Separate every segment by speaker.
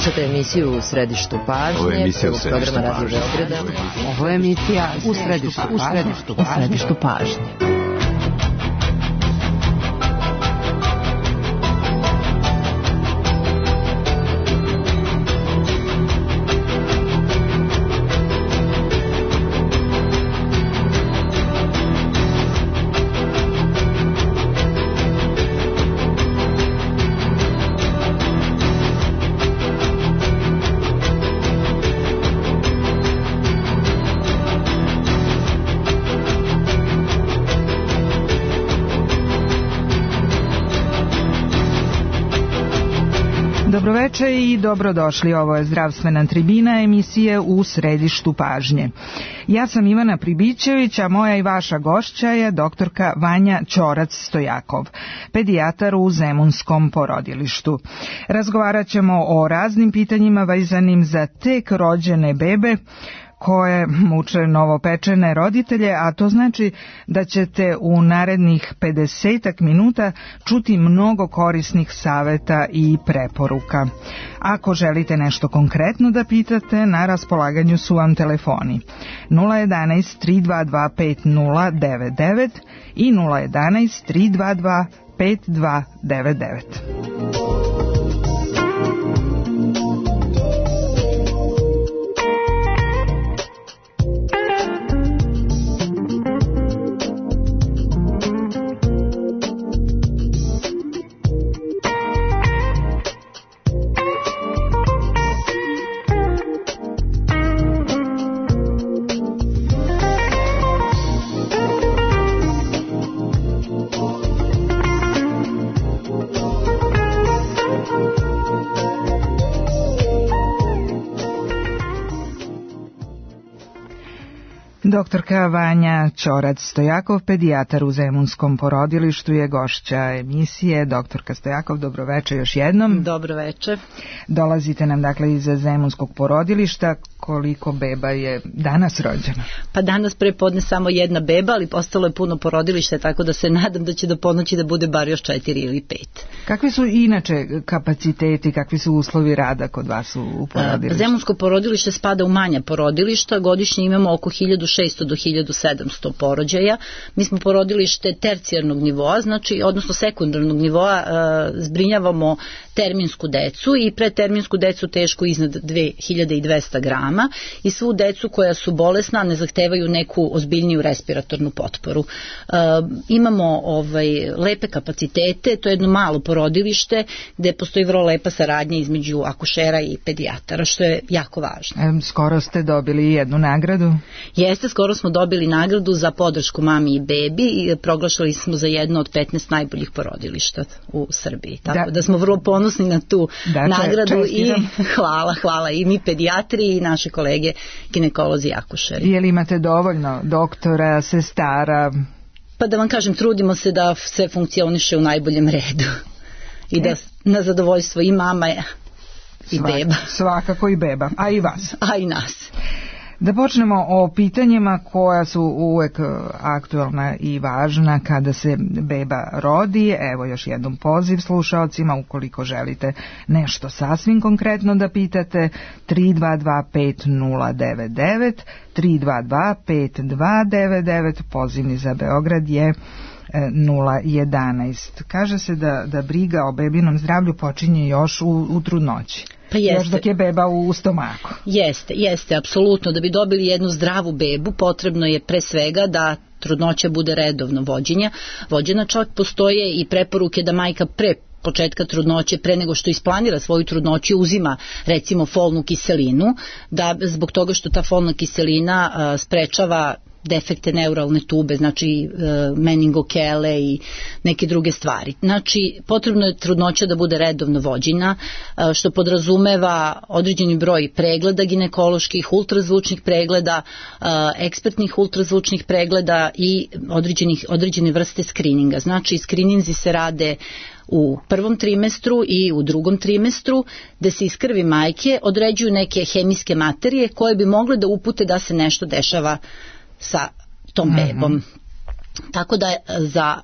Speaker 1: Slušate emisiju U središtu pažnje.
Speaker 2: Ovo je emisija U
Speaker 1: središtu pažnje.
Speaker 3: Ovo je emisija U središtu pažnje.
Speaker 4: Dobroveče i dobrodošli. Ovo je zdravstvena tribina emisije U središtu pažnje. Ja sam Ivana Pribićević, a moja i vaša gošća je doktorka Vanja Ćorac-Stojakov, pedijatar u Zemunskom porodilištu. Razgovarat ćemo o raznim pitanjima vezanim za tek rođene bebe koje muče novopečene roditelje, a to znači da ćete u narednih 50 minuta čuti mnogo korisnih saveta i preporuka. Ako želite nešto konkretno da pitate, na raspolaganju su vam telefoni 011 322 5099 i 011 322 5299. Doktorka Vanja Ćorac-Stojakov, pedijatar u Zemunskom porodilištu, je gošća emisije. Doktorka Stojakov, dobroveče još jednom.
Speaker 3: Dobroveče.
Speaker 4: Dolazite nam dakle iz Zemunskog porodilišta. Koliko beba je danas rođeno?
Speaker 3: Pa danas prepodne samo jedna beba, ali ostalo je puno porodilišta, tako da se nadam da će do ponoći da bude bar još 4 ili 5. Kakvi
Speaker 4: su inače kapaciteti, kakvi su uslovi rada kod vas u porodilištu?
Speaker 3: Zemunsko porodilište spada u manja porodilišta, godišnje imamo oko 1600 do 1700 porođaja. Mi smo porodilište tercijarnog nivoa, znači, odnosno sekundarnog nivoa, zbrinjavamo terminsku decu i preterminsku decu teško iznad 2200 grama i svu decu koja su bolesna, ne zahtevaju neku ozbiljniju respiratornu potporu. Imamo lepe kapacitete, to je jedno malo porodilište gde postoji vrlo lepa saradnja između akušera i pedijatara, što je jako važno.
Speaker 4: Skoro ste dobili jednu nagradu?
Speaker 3: Jeste, skoro smo dobili nagradu za podršku mami i bebi i proglašali smo za jedno od 15 najboljih porodilišta u Srbiji. Tako da smo vrlo ponosni na tu nagradu i hvala i mi pedijatri i naše kolege ginekolozi i akušeri.
Speaker 4: Je li imate dovoljno doktora, sestara?
Speaker 3: Pa da vam kažem, trudimo se da sve funkcioniše u najboljem redu i da na zadovoljstvo i mama i beba.
Speaker 4: Svakako i beba, a i vas.
Speaker 3: A i nas.
Speaker 4: Da počnemo o pitanjima koja su uvek aktualna i važna kada se beba rodi. Evo još jednom poziv slušaocima, ukoliko želite nešto sasvim konkretno da pitate, 322 5099, 322 5299, pozivni za Beograd je 011. Kaže se da briga o bebinom zdravlju počinje još u trudnoći.
Speaker 3: Pa jeste.
Speaker 4: Još dok je beba u stomaku.
Speaker 3: Jeste, apsolutno. Da bi dobili jednu zdravu bebu, potrebno je pre svega da trudnoća bude redovno vođena. Čak postoje i preporuke da majka pre početka trudnoće, pre nego što isplanira svoju trudnoću, uzima recimo folnu kiselinu, da zbog toga što ta folna kiselina sprečava defekte neuralne tube, znači meningokele i neke druge stvari. Znači, potrebno je trudnoća da bude redovno vođena, što podrazumeva određeni broj pregleda ginekoloških, ultrazvučnih pregleda, ekspertnih ultrazvučnih pregleda i određene vrste skrininga. Znači, skrininzi se rade u prvom trimestru i u drugom trimestru, gde se iz krvi majke određuju neke hemijske materije koje bi mogle da upute da se nešto dešava sa tom bebom. Tako da za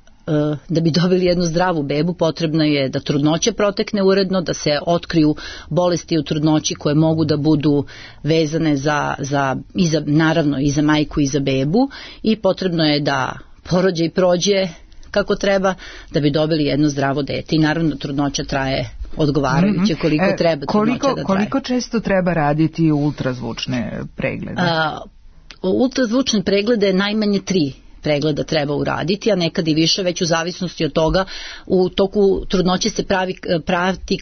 Speaker 3: da bi dobili jednu zdravu bebu potrebno je da trudnoća protekne uredno, da se otkriju bolesti u trudnoći koje mogu da budu vezane naravno i za majku i za bebu, i potrebno je da porođaj prođe kako treba da bi dobili jedno zdravo dete. I naravno trudnoća traje odgovarajuće koliko treba trudnoća da traje.
Speaker 4: Koliko često treba raditi ultrazvučne preglede?
Speaker 3: Ultrazvučne preglede najmanje 3 pregleda treba uraditi, a nekad i više, već u zavisnosti od toga. U toku trudnoće se prati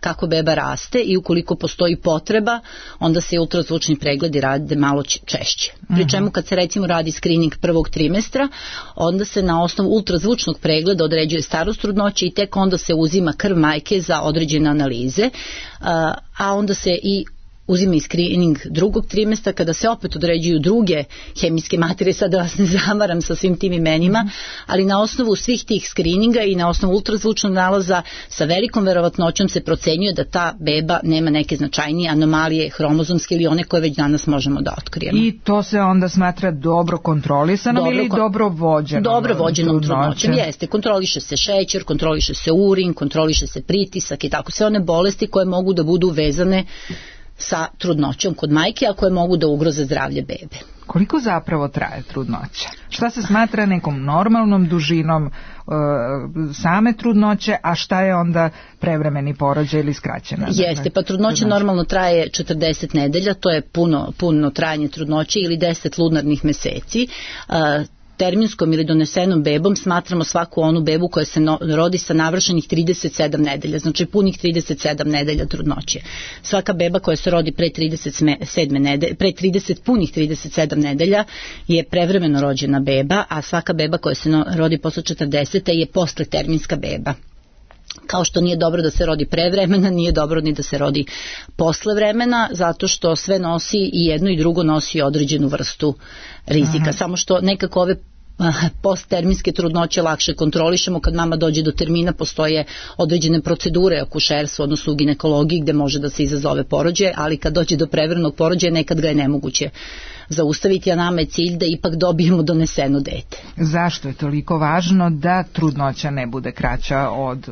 Speaker 3: kako beba raste, i ukoliko postoji potreba, onda se ultrazvučni pregledi rade malo češće. Pri čemu kad se recimo radi screening prvog trimestra, onda se na osnovu ultrazvučnog pregleda određuje starost trudnoće i tek onda se uzima krv majke za određene analize, a onda se i uzima i screening drugog trimestra kada se opet određuju druge hemijske materije, sad da vas ne zamaram sa svim tim imenima, ali na osnovu svih tih screeninga i na osnovu ultrazvučnog nalaza sa velikom verovatnoćom se procenjuje da ta beba nema neke značajnije anomalije hromozomske ili one koje već danas možemo da otkrijemo.
Speaker 4: I to se onda smatra dobro kontrolisanom ili dobro vođenom?
Speaker 3: Dobro vođenom trudnoćem, jeste. Kontroliše se šećer, kontroliše se urin, kontroliše se pritisak i tako. Sve one bolesti koje mogu da budu vezane sa trudnoćom kod majke, a koje mogu da ugroze zdravlje bebe.
Speaker 4: Koliko zapravo traje trudnoća? Šta se smatra nekom normalnom dužinom same trudnoće, a šta je onda prevremeni porođaj ili skraćena?
Speaker 3: Jeste, pa trudnoća normalno traje 40 nedelja, to je puno trajanje trudnoće ili 10 lunarnih meseci. Terminskom ili donesenom bebom smatramo svaku onu bebu koja se rodi sa navršenih 37 nedelja, znači punih 37 nedelja trudnoće. Svaka beba koja se rodi pre 30 punih 37 nedelja je prevremeno rođena beba, a svaka beba koja se rodi posle 40 je posle terminska beba. Kao što nije dobro da se rodi pre vremena, nije dobro ni da se rodi posle vremena, zato što sve nosi, i jedno i drugo nosi određenu vrstu rizika. Samo što nekako ove postterminske trudnoće lakše kontrolišemo. Kad mama dođe do termina, postoje određene procedure akušerstva, odnosno u ginekologiji, gde može da se izazove porođaj, ali kad dođe do prevremenog porođaja nekad ga je nemoguće zaustaviti, a nama je cilj da ipak dobijemo doneseno dete.
Speaker 4: Zašto je toliko važno da trudnoća ne bude kraća od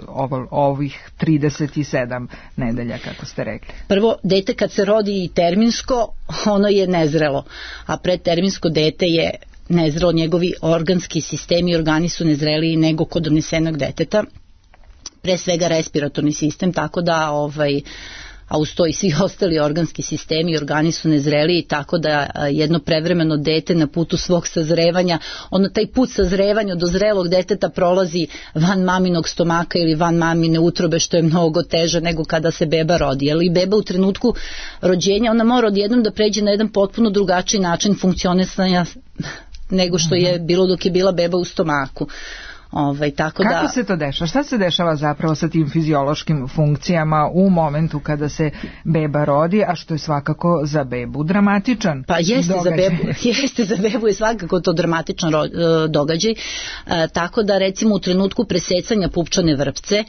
Speaker 4: ovih 37 nedelja, kako ste rekli?
Speaker 3: Prvo, dete kad se rodi terminsko, ono je nezrelo, a predterminsko dete je nezrelo, njegovi organski sistemi i organi su nezreliji nego kod donesenog deteta, pre svega respiratorni sistem, tako da a uz to i svi ostali organski sistemi i organi su nezreliji, tako da jedno prevremeno dete na putu svog sazrevanja, taj put sazrevanja do zrelog deteta prolazi van maminog stomaka ili van mamine utrobe, što je mnogo teže nego kada se beba rodi. Ali beba u trenutku rođenja, ona mora odjednom da pređe na jedan potpuno drugačiji način funkcionisanja nego što je bilo dok je bila beba u stomaku.
Speaker 4: Kako se to dešava? Šta se dešava zapravo sa tim fiziološkim funkcijama u momentu kada se beba rodi, a što je svakako za bebu dramatičan
Speaker 3: jeste za bebu je svakako to dramatičan događaj, tako da recimo u trenutku presecanja pupčane vrpce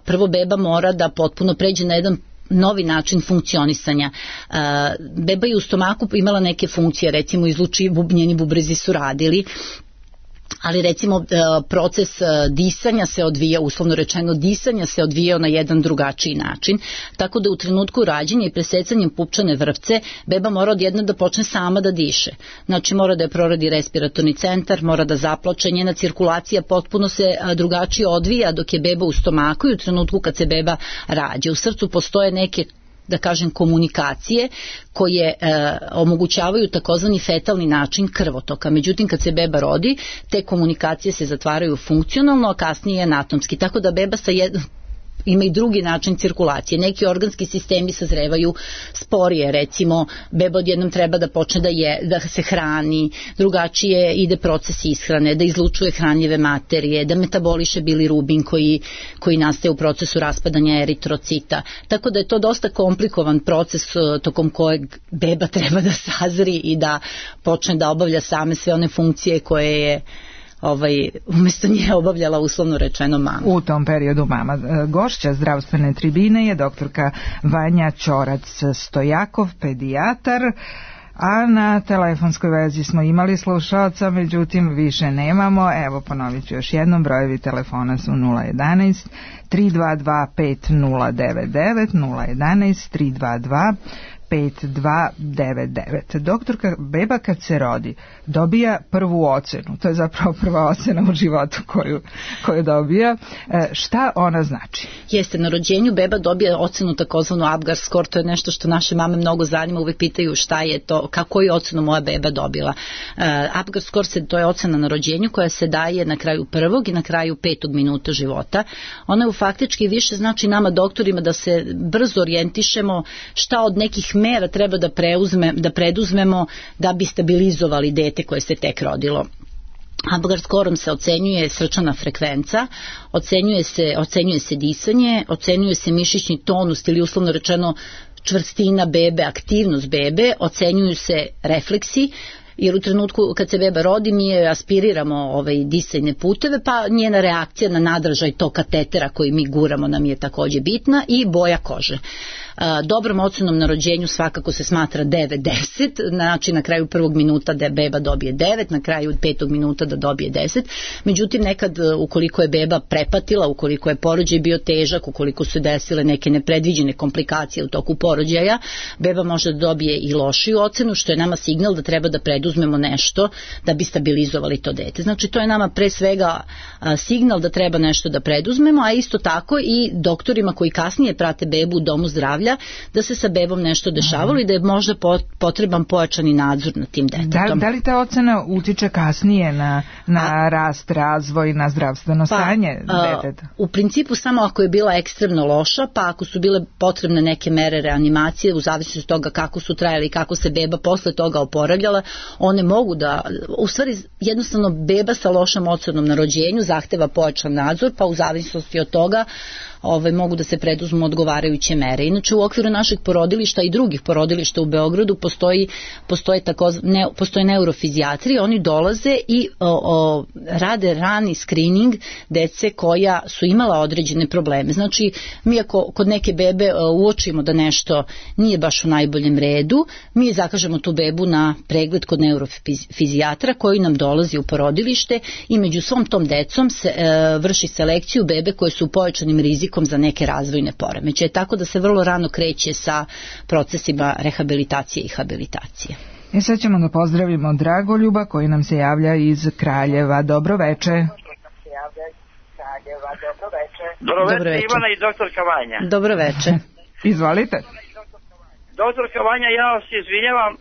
Speaker 3: prvo beba mora da potpuno pređe na jedan novi način funkcionisanja. Beba je u stomaku imala neke funkcije, recimo njeni bubrezi su radili, ali recimo proces disanja se odvija, uslovno rečeno disanja se odvijao na jedan drugačiji način, tako da u trenutku rađenja i presecanjem pupčane vrpce beba mora odjedno da počne sama da diše. Znači mora da je proradi respiratorni centar, mora da zaplače, njena cirkulacija potpuno se drugačije odvija dok je beba u stomaku i u trenutku kad se beba rađa. U srcu postoje neke, da kažem, komunikacije koje omogućavaju takozvani fetalni način krvotoka. Međutim, kad se beba rodi, te komunikacije se zatvaraju funkcionalno, a kasnije anatomski. Tako da beba ima i drugi način cirkulacije. Neki organski sistemi sazrevaju sporije, recimo beba odjednom treba da počne da se hrani, drugačije ide proces ishrane, da izlučuje hranljive materije, da metaboliše bilirubin koji nastaje u procesu raspadanja eritrocita. Tako da je to dosta komplikovan proces tokom kojeg beba treba da sazri i da počne da obavlja same sve one funkcije koje je umjesto nje obavljala uslovno rečeno mama.
Speaker 4: U tom periodu mama. Gošća zdravstvene tribine je doktorka Vanja Ćorac Stojakov, pedijatar. A na telefonskoj vezi smo imali slušaoca, međutim više nemamo. Evo, ponovit ću još jednom, brojevi telefona su 011 322 5099, 011 322 5299. Doktorka, beba kad se rodi dobija prvu ocenu, to je zapravo prva ocena u životu koju dobija. Šta ona znači?
Speaker 3: Jeste, na rođenju beba dobija ocenu takozvanu Apgar score, to je nešto što naše mame mnogo zanima, uvijek pitaju šta je to, kako je ocenu moja beba dobila. Apgar score to je ocena na rođenju koja se daje na kraju prvog i na kraju 5. minuta života. Ona je faktički više znači nama doktorima da se brzo orijentišemo šta od nekih mera treba da preduzmemo da bi stabilizovali dete koje se tek rodilo. Apgar skorom se ocenjuje srčana frekvenca, ocenjuje se disanje, ocenjuje se mišićni tonus ili uslovno rečeno čvrstina bebe, aktivnost bebe, ocenjuju se refleksi, jer u trenutku kad se beba rodi mi je aspiriramo disajne puteve, pa njena reakcija na nadražaj tog katetera koji mi guramo nam je takođe bitna, i boja kože. Dobrom ocenom na rođenju svakako se smatra 9-10, znači na kraju prvog minuta da beba dobije 9, na kraju 5. minuta da dobije 10. Međutim, nekad ukoliko je beba prepatila, ukoliko je porođaj bio težak, ukoliko su desile neke nepredviđene komplikacije u toku porođaja, beba može da dobije i lošiju ocenu, što je nama signal da treba da preduzmemo nešto da bi stabilizovali to dete. Znači, to je nama pre svega signal da treba nešto da preduzmemo, a isto tako i doktorima koji kasnije prate bebu u domu zdravlja, da se sa bebom nešto dešavalo i da je možda potreban pojačani nadzor nad tim detetom.
Speaker 4: Da li ta ocena utiče kasnije na rast, razvoj, na zdravstveno stanje deteta?
Speaker 3: U principu samo ako je bila ekstremno loša, pa ako su bile potrebne neke mere reanimacije, u zavisnosti od toga kako su trajali i kako se beba posle toga oporavljala, one mogu da, u stvari jednostavno beba sa lošom ocenom na rođenju zahteva pojačan nadzor, pa u zavisnosti od toga mogu da se preduzmu odgovarajuće mere. Inače, u okviru našeg porodilišta i drugih porodilišta u Beogradu postoje neurofizijatri, oni dolaze i rade rani screening dece koja su imala određene probleme. Znači, mi ako kod neke bebe uočimo da nešto nije baš u najboljem redu, mi zakažemo tu bebu na pregled kod neurofizijatra koji nam dolazi u porodilište i među svom tom decom se vrši selekciju bebe koje su u pojačanim rizikom za neke razvojne poremećaje, tako da se vrlo rano kreće sa procesima rehabilitacije i habilitacije.
Speaker 4: Sad ćemo da pozdravimo Dragoljuba koji nam se javlja iz Kraljeva. Dobro veče.
Speaker 2: Dobro veče, Ivana i doktorka Vanja.
Speaker 3: Dobro veče.
Speaker 4: Izvolite.
Speaker 2: Doktorka Vanja, ja se izvinjavam,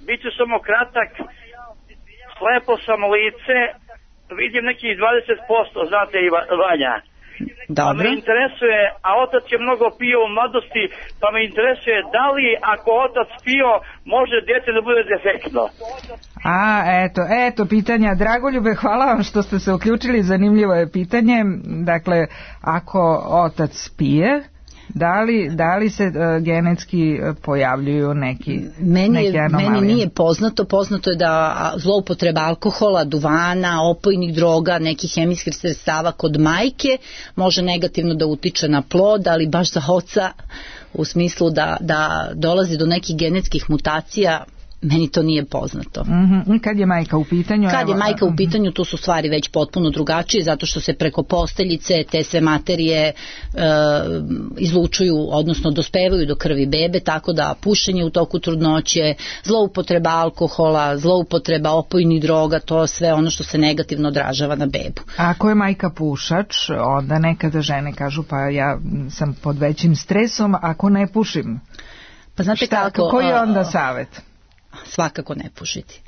Speaker 2: bit ću samo kratak, slepo sam lice, vidim nekih 20%, znate Vanja.
Speaker 3: Dobro.
Speaker 2: Pa me interesuje, a otac je mnogo pio u mladosti, pa me interesuje da li ako otac pio može dete da bude defektno.
Speaker 4: Eto pitanja. Dragoljube, hvala vam što ste se uključili, zanimljivo je pitanje. Dakle, ako otac pije, da li se genetski pojavljuju neke anomalije?
Speaker 3: Meni nije poznato je da zloupotreba alkohola, duvana, opojnih droga, nekih hemijskih sredstava kod majke može negativno da utiče na plod, ali baš za oca u smislu da dolazi do nekih genetskih mutacija, meni to nije poznato.
Speaker 4: Kad je majka u pitanju?
Speaker 3: Kad je majka u pitanju, tu su stvari već potpuno drugačije, zato što se preko posteljice te sve materije izlučuju, odnosno dospevaju do krvi bebe, tako da pušenje u toku trudnoće, zloupotreba alkohola, zloupotreba opojnih droga, to je sve ono što se negativno odražava na bebu.
Speaker 4: A ako je majka pušač, onda nekada žene kažu pa ja sam pod većim stresom ako ne pušim.
Speaker 3: Pa znate kako?
Speaker 4: Koji je onda savjet?
Speaker 3: Svakako ne pušiti.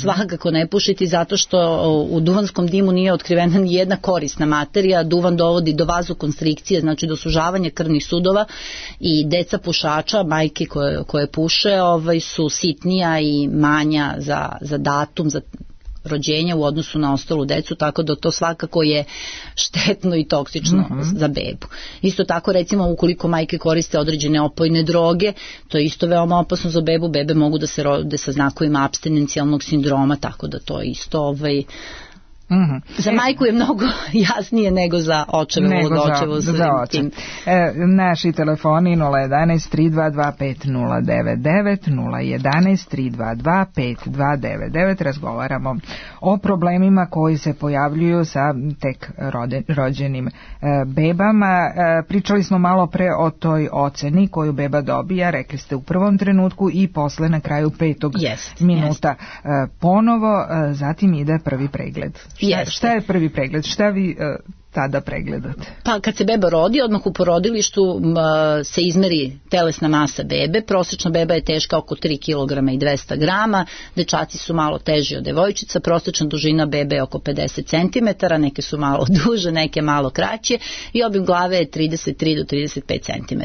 Speaker 3: Svakako ne pušiti, zato što u duvanskom dimu nije otkrivena ni jedna korisna materija. Duvan dovodi do vazokonstrikcije, znači do sužavanja krvnih sudova, i deca pušača, majke koje puše, su sitnija i manja za datum, za rođenja u odnosu na ostalu decu, tako da to svakako je štetno i toksično za bebu. Isto tako, recimo, ukoliko majke koriste određene opojne droge, to je isto veoma opasno za bebu. Bebe mogu da se rode sa znakovima apstinencijalnog sindroma, tako da to je isto Za majku je mnogo jasnije nego za očeve.
Speaker 4: Naši telefoni 011 322 5099 011 322 5299. Razgovaramo o problemima koji se pojavljuju sa tek rođenim bebama. Pričali smo malo pre o toj oceni koju beba dobija, rekli ste u prvom trenutku i posle na kraju 5. minuta ponovo, zatim ide prvi pregled. Šta je prvi pregled? Šta vi tada pregledate?
Speaker 3: Pa kad se beba rodi, odmah u porodilištu se izmeri telesna masa bebe. Prosječna beba je teška oko 3 kg i 200 grama, dečaci su malo teži od devojčica, prosječna dužina bebe je oko 50 cm, neke su malo duže, neke malo kraće i obim glave je 33 do 35 cm.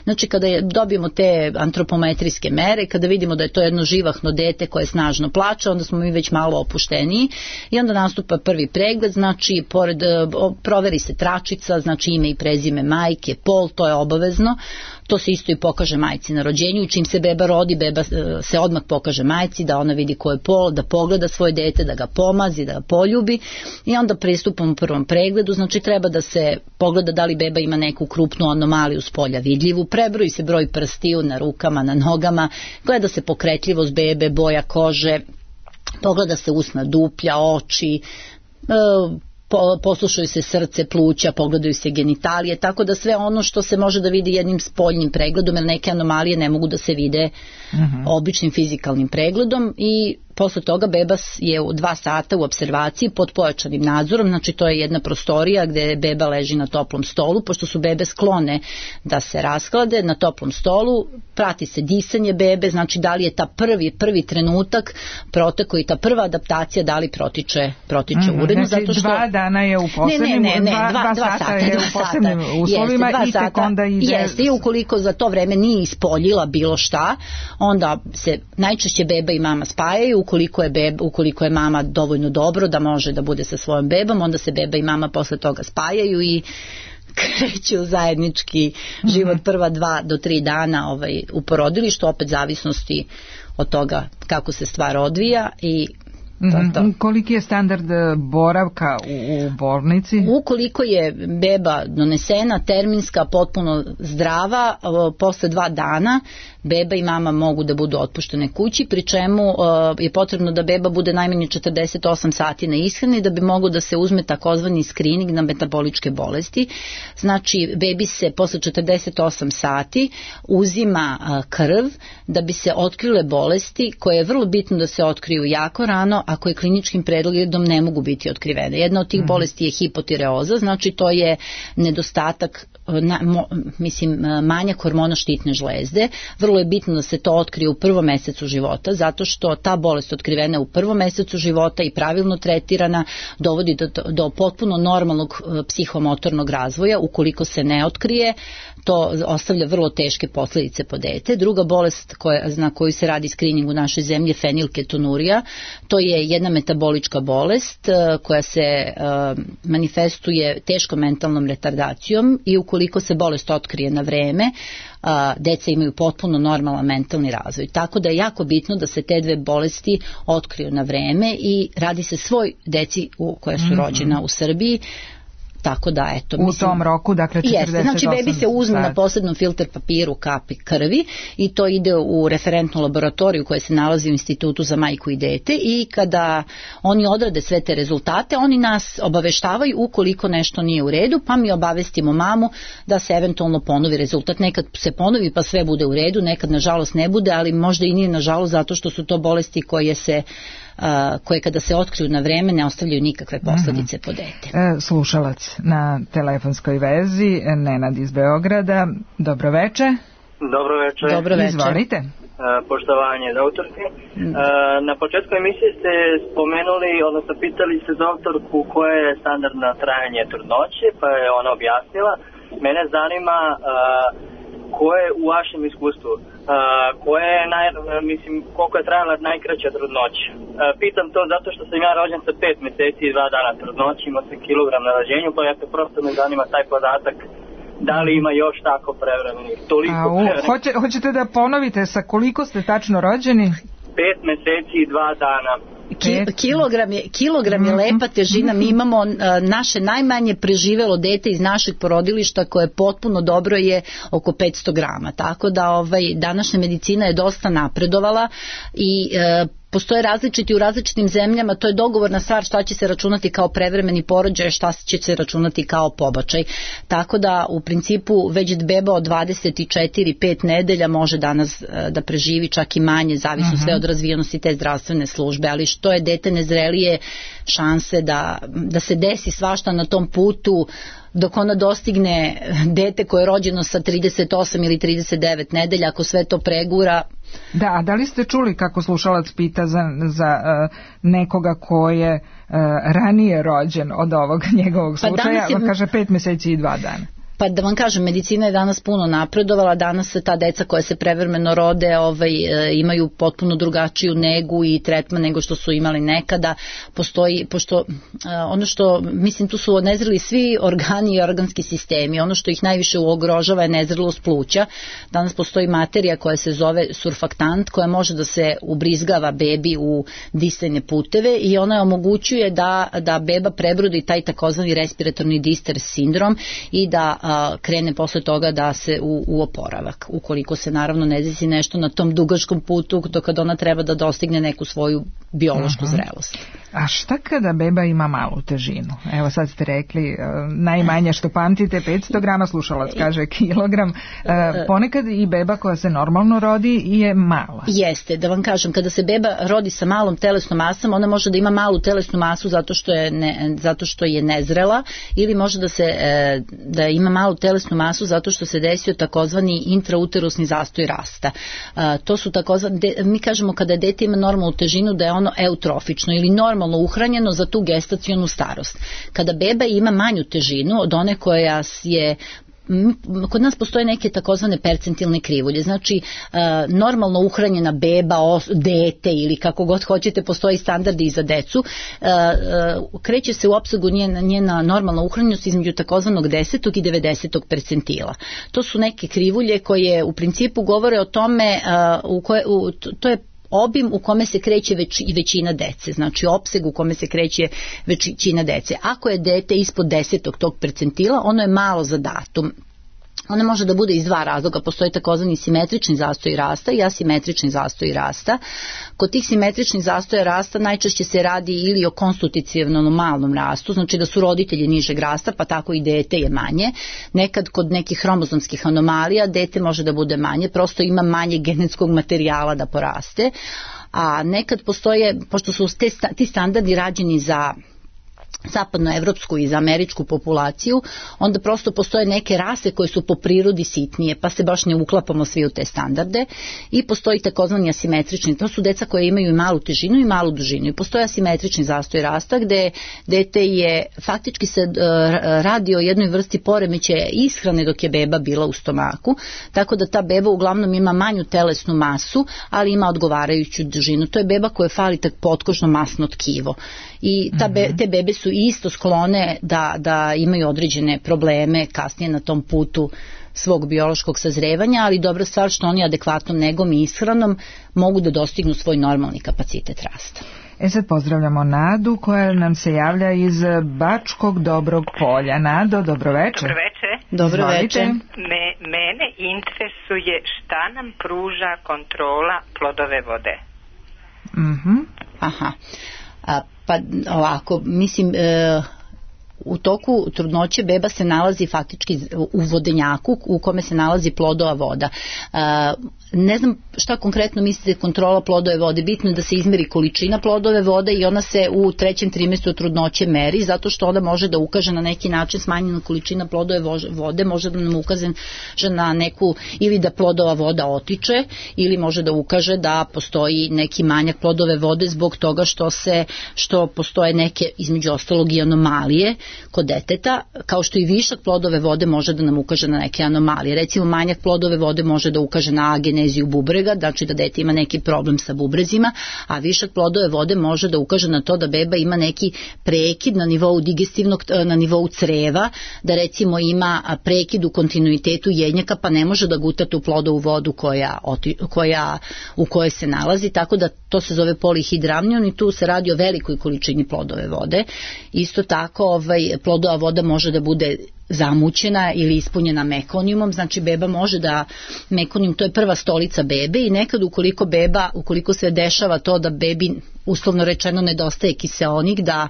Speaker 3: Znači kada dobijemo te antropometrijske mere, kada vidimo da je to jedno živahno dete koje snažno plače, onda smo mi već malo opušteniji i onda nastupa prvi pregled, znači pored proveri se tračica, znači ime i prezime majke, pol, to je obavezno. To se isto i pokaže majci na rođenju i čim se beba rodi, beba se odmah pokaže majci da ona vidi ko je pol, da pogleda svoje dete, da ga pomazi, da ga poljubi i onda pristupamo u prvom pregledu, znači treba da se pogleda da li beba ima neku krupnu anomaliju s polja vidljivu, prebroji se broj prstiju na rukama, na nogama, gleda se pokretljivost bebe, boja kože, pogleda se usna duplja, oči, poslušaju se srce, pluća, pogledaju se genitalije, tako da sve ono što se može da vidi jednim spoljnim pregledom, jer neke anomalije ne mogu da se vide običnim fizikalnim pregledom i posle toga beba je u 2 sata u apservaciji pod pojačanim nadzorom, znači to je jedna prostorija gde beba leži na toplom stolu, pošto su bebe sklone da se rashlade na toplom stolu, prati se disanje bebe, znači da li je ta prvi trenutak protekao i ta prva adaptacija da li protiče uredno.
Speaker 4: Znači zato što 2 dana je u posebnim, 2 sata je u posebnim uslovima i tek onda ide...
Speaker 3: Jeste, i ukoliko za to vreme nije ispoljila bilo šta, onda se najčešće beba i mama spajaju, ukoliko je mama dovoljno dobro da može da bude sa svojom bebom, onda se beba i mama posle toga spajaju i kreću zajednički život prva 2 do 3 dana u porodilištu, opet zavisnosti od toga kako se stvar odvija i to.
Speaker 4: Koliki je standard boravka u bolnici?
Speaker 3: Ukoliko je beba donesena, terminska, potpuno zdrava, posle 2 dana beba i mama mogu da budu otpuštene kući, pri čemu je potrebno da beba bude najmanje 48 sati na ishrani da bi mogo da se uzme takozvani screening na metaboličke bolesti. Znači, bebi se posle 48 sati uzima krv da bi se otkrile bolesti koje je vrlo bitno da se otkriju jako rano, a koje kliničkim pregledom ne mogu biti otkrivene. Jedna od tih bolesti je hipotireoza, znači to je nedostatak, manjak hormona štitne žlezde. Vrlo je bitno da se to otkrije u prvom mesecu života, zato što ta bolest otkrivena u prvom mesecu života i pravilno tretirana dovodi do potpuno normalnog psihomotornog razvoja. Ukoliko se ne otkrije, to ostavlja vrlo teške posledice po dete. Druga bolest na koju se radi screening u našoj zemlji je fenilketonurija. To je jedna metabolička bolest koja se manifestuje teškom mentalnom retardacijom i ukoliko se bolest otkrije na vreme, deca imaju potpuno normalan mentalni razvoj. Tako da je jako bitno da se te 2 bolesti otkriju na vreme i radi se svoj deci koja su rođena u Srbiji. Tako da, eto,
Speaker 4: u tom roku, dakle 48
Speaker 3: jeste, znači bebi se uzme na posebnom filter papiru kapi krvi i to ide u referentnu laboratoriju koja se nalazi u Institutu za majku i dete i kada oni odrade sve te rezultate, oni nas obaveštavaju ukoliko nešto nije u redu, pa mi obavestimo mamu da se eventualno ponovi rezultat. Nekad se ponovi pa sve bude u redu, nekad nažalost ne bude, ali možda i nije nažalost zato što su to bolesti koje kada se otkriju na vreme ne ostavljaju nikakve posledice po dete.
Speaker 4: Slušalac na telefonskoj vezi, Nenad iz Beograda. Dobro veče.
Speaker 2: Dobro veče.
Speaker 4: Izvolite.
Speaker 2: Poštovanje doktorke. Na početku emisije ste spomenuli, odnosno pitali ste doktorku koje je standardno trajanje trudnoće, pa je ona objasnila. Mene zanima koje u vašem iskustvu, koliko je trajala najkraća trudnoća. Pitam to zato što sam ja rođen sa 5 mjeseci i 2 dana trudnoće, imao sam kilogram na rođenju, pa ja se prosto me zanima taj podatak, da li ima još tako prevremenih, toliko prevremenih.
Speaker 4: Hoćete da ponovite sa koliko ste tačno rođeni?
Speaker 2: 5 mjeseci i 2 dana.
Speaker 3: Kilogram je lepa težina. Mi imamo naše najmanje preživelo dete iz našeg porodilišta koje je potpuno dobro je oko 500 grama. Tako da današnja medicina je dosta napredovala i postoje različiti u različitim zemljama, to je dogovorna stvar šta će se računati kao prevremeni porođaj, šta će se računati kao pobačaj. Tako da u principu već beba od 24-5 nedelja može danas da preživi čak i manje, zavisno sve od razvijenosti te zdravstvene službe, ali što je dete nezrelije, šanse da se desi svašta na tom putu dok ona dostigne dete koje je rođeno sa 38 ili 39 nedelja, ako sve to pregura.
Speaker 4: Da, a da li ste čuli kako slušalac pita za nekoga ko je ranije rođen od ovog njegovog slučaja, kaže 5 meseci i 2 dana?
Speaker 3: Pa da vam kažem, medicina je danas puno napredovala, danas se ta deca koja se prevremeno rode imaju potpuno drugačiju negu i tretman nego što su imali nekada. Pošto ono što, mislim, tu su nezreli svi organi i organski sistemi, ono što ih najviše ugrožava je nezrelost pluća. Danas postoji materija koja se zove surfaktant koja može da se ubrizgava bebi u disajne puteve i ona omogućuje da beba prebrodi taj takozvani respiratorni distress sindrom i da krene posle toga da se u oporavak, ukoliko se naravno ne desi nešto na tom dugačkom putu do kada ona treba da dostigne neku svoju biološku zrelost.
Speaker 4: A šta kada beba ima malu težinu? Evo sad ste rekli najmanje što pamtite 500 grama, slušalac kaže kilogram. Ponekad i beba koja se normalno rodi je mala.
Speaker 3: Jeste, da vam kažem, kada se beba rodi sa malom telesnom masom, ona može da ima malu telesnu masu zato što je nezrela, ili može da ima malu telesnu masu zato što se desio takozvani intrauterusni zastoj rasta. To su takozvani, mi kažemo kada dete ima normalnu težinu da je ono eutrofično ili normalno uhranjeno za tu gestacionu starost. Kada beba ima manju težinu od one koja je, kod nas postoje neke takozvane percentilne krivulje, znači normalno uhranjena beba, dete ili kako god hoćete, postoji standardi i za decu, kreće se u opsegu njena normalna uhranjenost između takozvanog 10. i 90. percentila. To su neke krivulje koje u principu govore o tome, to je obim u kome se kreće većina dece, znači opseg u kome se kreće većina dece. Ako je dete ispod 10. tog percentila, ono je malo za datum. Ona može da bude iz dva razloga, postoji takozvani simetrični zastoj rasta i asimetrični zastoj rasta. Kod tih simetričnih zastoja rasta najčešće se radi ili o konstitutivnom malnom rastu, znači da su roditelji nižeg rasta, pa tako i dete je manje. Nekad kod nekih hromozomskih anomalija dete može da bude manje, prosto ima manje genetskog materijala da poraste, a nekad postoje, pošto su ti standardi rađeni za zapadnoevropsku i za američku populaciju, onda prosto postoje neke rase koje su po prirodi sitnije, pa se baš ne uklapamo svi u te standarde, i postoji takozvani asimetrični, to su deca koje imaju i malu težinu i malu dužinu, i postoji asimetrični zastoj rasta gde dete je, faktički se radi o jednoj vrsti poremećaja ishrane dok je beba bila u stomaku, tako da ta beba uglavnom ima manju telesnu masu, ali ima odgovarajuću dužinu. To je beba koja fali tak potkožno masno tkivo, i te bebe su isto sklone da imaju određene probleme kasnije na tom putu svog biološkog sazrevanja, ali dobra stvar što oni adekvatnom negom i ishranom mogu da dostignu svoj normalni kapacitet rasta.
Speaker 4: Sad pozdravljamo Nadu koja nam se javlja iz Bačkog Dobrog Polja. Nado, dobroveče.
Speaker 3: Dobroveče.
Speaker 5: Mene interesuje šta nam pruža kontrola plodove vode.
Speaker 3: Aha. Pa ovako, mislim, u toku trudnoće beba se nalazi faktički u vodenjaku u kome se nalazi plodova voda. Ne znam šta konkretno mislite kontrola plodove vode, bitno je da se izmeri količina plodove vode i ona se u 3. trimestru trudnoće meri, zato što ona može da ukaže na neki način smanjena količina plodove vode, može da nam ukaže na neku, ili da plodova voda otiče, ili može da ukaže da postoji neki manjak plodove vode zbog toga što postoje neke, između ostalog, i anomalije kod deteta, kao što i višak plodove vode može da nam ukaže na neke anomalije. Recimo, manjak plodove vode može da ukaže na ageneziju bubrega, znači da dete ima neki problem sa bubrezima, a višak plodove vode može da ukaže na to da beba ima neki prekid na nivou digestivnog, na nivou creva, da recimo ima prekid u kontinuitetu jednjaka, pa ne može da guta tu plodovu vodu u kojoj se nalazi, tako da to se zove polihidramnion i tu se radi o velikoj količini plodove vode. Isto tako plodova voda može da bude zamućena ili ispunjena mekonijumom, znači beba može da, mekonijum to je prva stolica bebe i nekad ukoliko se dešava to da bebi uslovno rečeno nedostaje kiseonik, da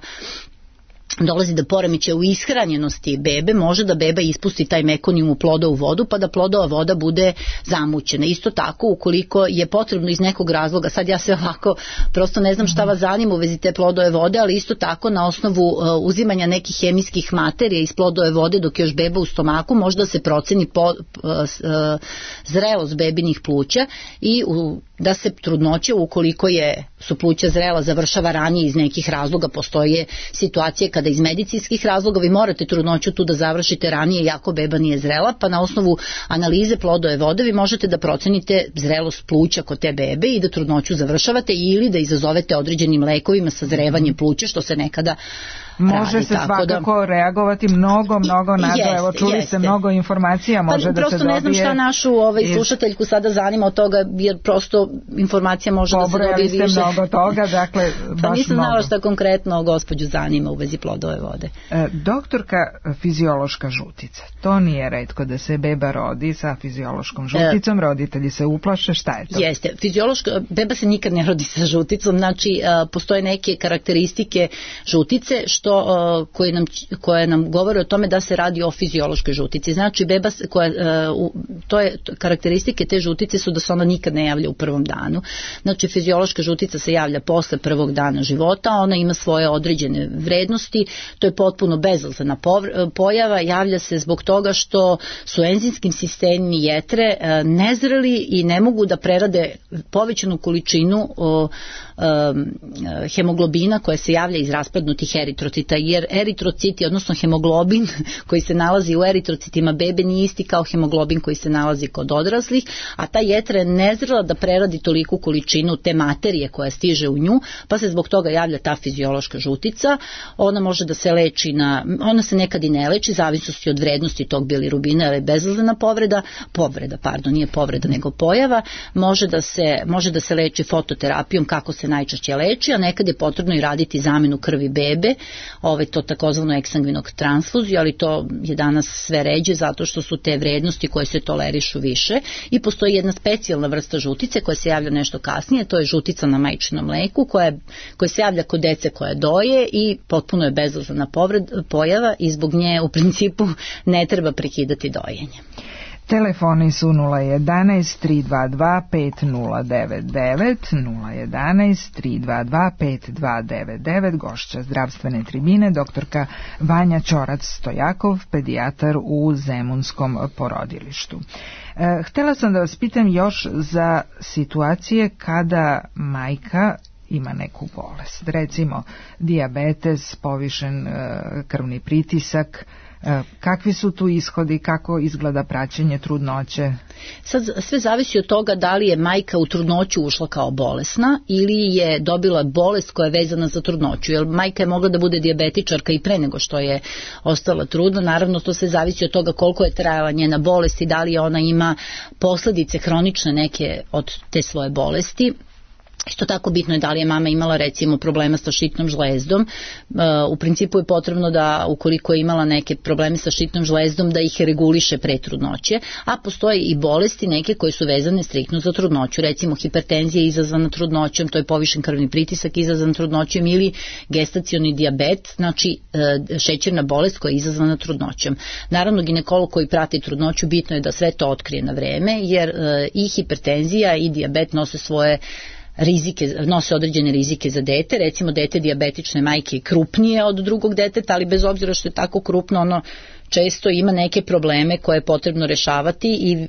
Speaker 3: dolazi do poremećaja u ishranjenosti bebe, može da beba ispusti taj mekonijum u plodovu vodu pa da plodova voda bude zamućena. Isto tako ukoliko je potrebno iz nekog razloga, sad ja sve ovako prosto ne znam šta vas zanima u vezi te plodove vode, ali isto tako na osnovu uzimanja nekih hemijskih materija iz plodove vode dok je još beba u stomaku možda se proceni zrelost bebinih pluća i da se trudnoća ukoliko su pluća zrela završava ranije iz nekih razloga, postoje situacije kada iz medicinskih razloga vi morate trudnoću tu da završite ranije iako beba nije zrela, pa na osnovu analize plodove vode vi možete da procenite zrelost pluća kod te bebe i da trudnoću završavate ili da izazovete određenim lekovima sazrevanje pluća, što se nekada
Speaker 4: može se svakako reagovati mnogo nado. Evo čuli ste mnogo informacija, može da se dobije.
Speaker 3: Prosto ne znam šta našu slušateljku sada zanima od toga, jer prosto informacija može da se dobije više.
Speaker 4: Pobrojali ste mnogo toga, dakle
Speaker 3: pa nisam znala šta konkretno gospođu zanima u vezi plodove vode.
Speaker 4: Doktorka, fiziološka žutica, to nije retko da se beba rodi sa fiziološkom žuticom, roditelji se uplaše, šta je to?
Speaker 3: Jeste, beba se nikad ne rodi sa žuticom, znači postoje neke karakteristike žutice koje nam govore o tome da se radi o fiziološkoj žutici. Znači beba karakteristike te žutice su da se ona nikad ne javlja u prvom danu. Znači fiziološka žutica se javlja posle prvog dana života, ona ima svoje određene vrednosti, to je potpuno bezazlena pojava, javlja se zbog toga što su enzimskim sistemi jetre nezreli i ne mogu da prerade povećanu količinu hemoglobina koja se javlja iz raspadnutih eritrocita, jer eritrociti, odnosno hemoglobin koji se nalazi u eritrocitima bebe nije isti kao hemoglobin koji se nalazi kod odraslih, a ta jetra je nezrela da preradi toliku količinu te materije koja stiže u nju, pa se zbog toga javlja ta fiziološka žutica. Ona može da se leči ona se nekad i ne leči, zavisnosti od vrednosti tog bilirubina, jer je bezazlena nije povreda nego pojava, može da se leči fototerapijom kako se najčešće leči, a nekad je potrebno i raditi zamenu krvi bebe, to takozvano eksangvinog transfuziju, ali to je danas sve ređe zato što su te vrednosti koje se tolerišu više i postoji jedna specijalna vrsta žutice koja se javlja nešto kasnije, to je žutica na majčinom mleku koja se javlja kod dece koje doje i potpuno je bezazlena pojava i zbog nje u principu ne treba prekidati dojenje.
Speaker 4: Telefoni su 011 322 5099, 011 322 5299, gošća zdravstvene tribine, doktorka Vanja Ćorac-Stojakov, pedijatar u Zemunskom porodilištu. Htela sam da vas pitam još za situacije kada majka ima neku bolest, recimo dijabetes, povišen krvni pritisak. Kakvi su tu ishodi, kako izgleda praćenje trudnoće?
Speaker 3: Sad sve zavisi od toga da li je majka u trudnoću ušla kao bolesna ili je dobila bolest koja je vezana za trudnoću, jer majka je mogla da bude dijabetičarka i pre nego što je ostala trudna. Naravno to sve zavisi od toga koliko je trajala njena bolest i da li ona ima posledice hronične neke od te svoje bolesti. Isto tako bitno je da li je mama imala recimo problema sa štitnom žlezdom. U principu je potrebno da ukoliko je imala neke probleme sa štitnom žlezdom da ih reguliše pre trudnoće, a postoje i bolesti neke koje su vezane striktno za trudnoću. Recimo hipertenzija izazvana trudnoćom, to je povišen krvni pritisak izazvan trudnoćom, ili gestacioni dijabet, znači šećerna bolest koja je izazvana trudnoćom. Naravno ginekolog koji prati trudnoću bitno je da sve to otkrije na vreme, jer i hipertenzija i dijabet nose svoje nose određene rizike za dete, recimo dete dijabetične majke je krupnije od drugog deteta, ali bez obzira što je tako krupno, ono često ima neke probleme koje je potrebno rešavati i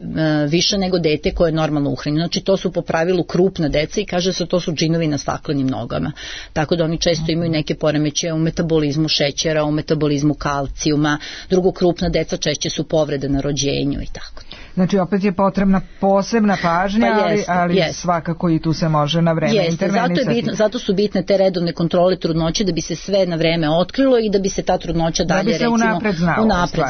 Speaker 3: više nego dete koje je normalno uhranjeno. Znači to su po pravilu krupna deca i kaže se to su džinovi na staklenim nogama. Tako da oni često imaju neke poremećaje u metabolizmu šećera, u metabolizmu kalcijuma, drugo krupna deca češće su povrede na rođenju i tako.
Speaker 4: Znači opet je potrebna posebna pažnja, ali svakako i tu se može na vreme intervenisati.
Speaker 3: Zato su bitne te redovne kontrole trudnoće da bi se sve na vreme otkrilo i da bi se ta trudnoća dalje recimo unapred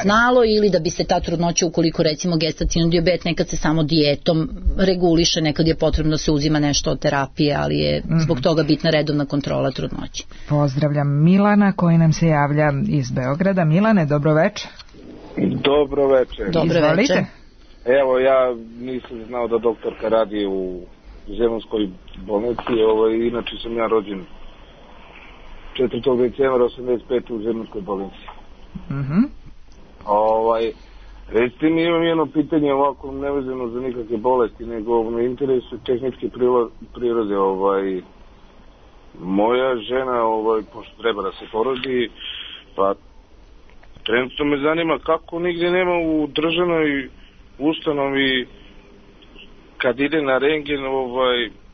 Speaker 3: znalo ili da bi se ta trudnoća ukoliko recimo gestacioni dijabet nekad se samo dijetom reguliše, nekad je potrebno da se uzima nešto od terapije, ali je zbog toga bitna redovna kontrola trudnoće.
Speaker 4: Pozdravljam Milana koji nam se javlja iz Beograda. Milane, dobroveče.
Speaker 6: Dobroveče.
Speaker 4: Izvolite.
Speaker 6: Evo, ja nisam znao da doktorka radi u Zemunskoj bolnici, inače sam ja rođen 4. decembra 85. u Zemunskoj bolnici. Recite mi, imam jedno pitanje ovako nevezano za nikakve bolesti, nego me interesuje tehničke prirode. Moja žena, pošto treba da se porodi, pa trenutno me zanima kako nigdje nema u državnoj ustanovi kad ide na rentgen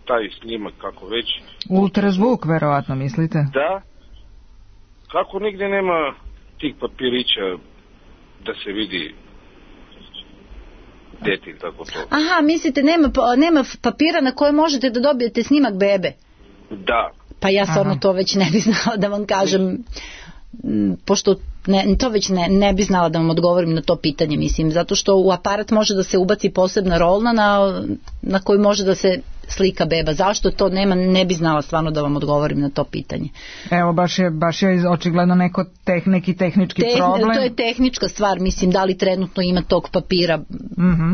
Speaker 6: taj snimak, kako već.
Speaker 4: Ultrazvuk, verovatno, mislite?
Speaker 6: Da. Kako nigdje nema tih papirića da se vidi dete, tako to.
Speaker 3: Aha, mislite nema papira na koje možete da dobijete snimak bebe?
Speaker 6: Da.
Speaker 3: Pa ja stvarno to već ne bi znala da vam kažem, pošto to već ne bi znala da vam odgovorim na to pitanje, mislim, zato što u aparat može da se ubaci posebna rolna na koju može da se slika beba. Zašto to nema, ne bi znala stvarno da vam odgovorim na to pitanje.
Speaker 4: Evo, baš je očigledno neki tehnički problem.
Speaker 3: To je tehnička stvar, mislim, da li trenutno ima tog papira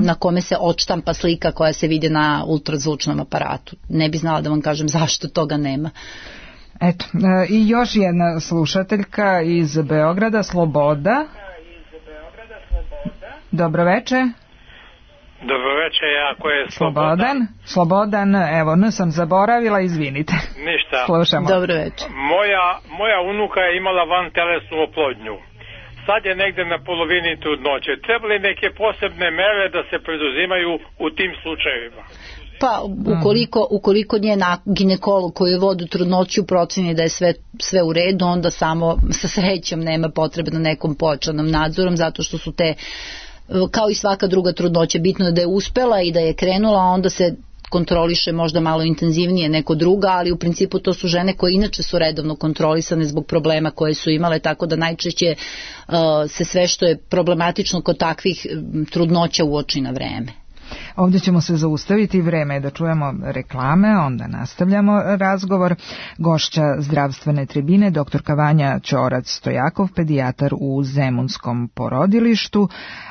Speaker 3: na kome se odštampa slika koja se vidi na ultrazvučnom aparatu. Ne bi znala da vam kažem zašto toga nema.
Speaker 4: Eto, i još jedna slušateljka iz Beograda, Sloboda. Dobroveče.
Speaker 7: Dobroveče, jako je
Speaker 4: Slobodan, evo, sam zaboravila, izvinite.
Speaker 7: Ništa.
Speaker 4: Slušamo.
Speaker 3: Dobroveče.
Speaker 7: Moja unuka je imala vantelesnu oplodnju. Sad je negde na polovini trudnoće. Treba li neke posebne mere da se preduzimaju u tim slučajevima?
Speaker 3: Pa ukoliko njen ginekolog koji vodi trudnoću proceni da je sve u redu, onda samo sa srećom nema potrebe na nekom pojačanom nadzorom, zato što su te, kao i svaka druga trudnoća, bitno je da je uspela i da je krenula, a onda se kontroliše možda malo intenzivnije neko druga, ali u principu to su žene koje inače su redovno kontrolisane zbog problema koje su imale, tako da najčešće se sve što je problematično kod takvih trudnoća uoči na vreme.
Speaker 4: Ovdje ćemo se zaustaviti, vreme je da čujemo reklame, onda nastavljamo razgovor. Gošća zdravstvene tribine, doktorka Vanja Ćorac-Stojakov, pedijatar u Zemunskom porodilištu,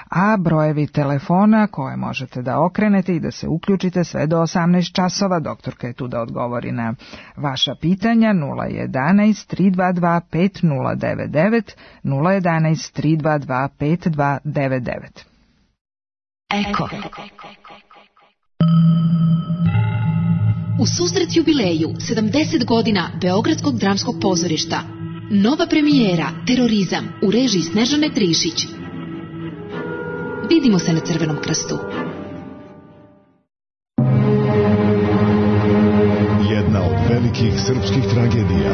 Speaker 4: a brojevi telefona koje možete da okrenete i da se uključite sve do 18 časova. Doktorka je tu da odgovori na vaša pitanja. 011 322 5099, 011 322 5299.
Speaker 8: Eko. U susret jubileju 70 godina Beogradskog dramskog pozorišta. Nova premijera Terorizam u režiji Snežane Trišić. Vidimo se na Crvenom krstu.
Speaker 9: Jedna od velikih srpskih tragedija.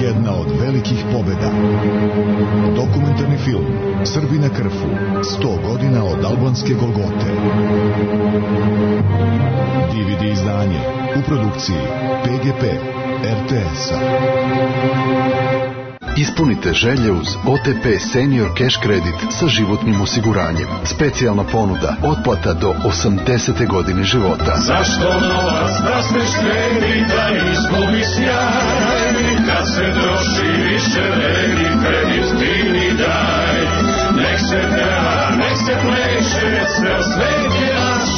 Speaker 9: Jedna od velikih pobjeda. Dokumentarni film Srbi na Krfu. 100 godina od albanske Golgote. DVD izdanje u produkciji PGP RTS-a.
Speaker 10: Ispunite želje uz OTP Senior Cash Credit sa životnim osiguranjem. Specijalna ponuda, otplata do 80. godine života.
Speaker 11: Zašto novac da smeš kredi, da izgubi sjaj? Kad se troši više vredi, kredit ti mi daj. Nek se peva, nek se pleše, sve o svet je naš.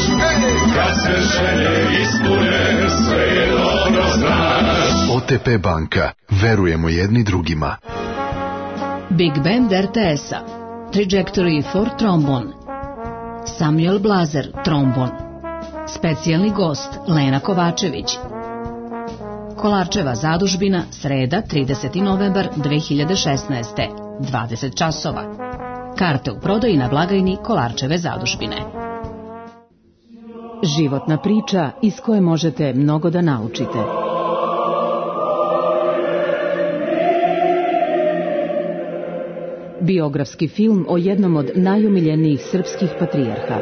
Speaker 11: Kad se želje ispune, sve je dobro znaš.
Speaker 10: OTP banka. Verujemo jedni drugima.
Speaker 8: Big Band RTS-a. Trajectory for trombon. Samuel Blazer, trombon. Specijalni gost Lena Kovačević. Kolarčeva zadužbina, sreda, 30. novembar 2016. 20 časova. Karte u prodaji na blagajni Kolarčeve zadužbine. Životna priča iz koje možete mnogo da naučite. Biografski film o jednom od najomiljenijih srpskih patrijarha.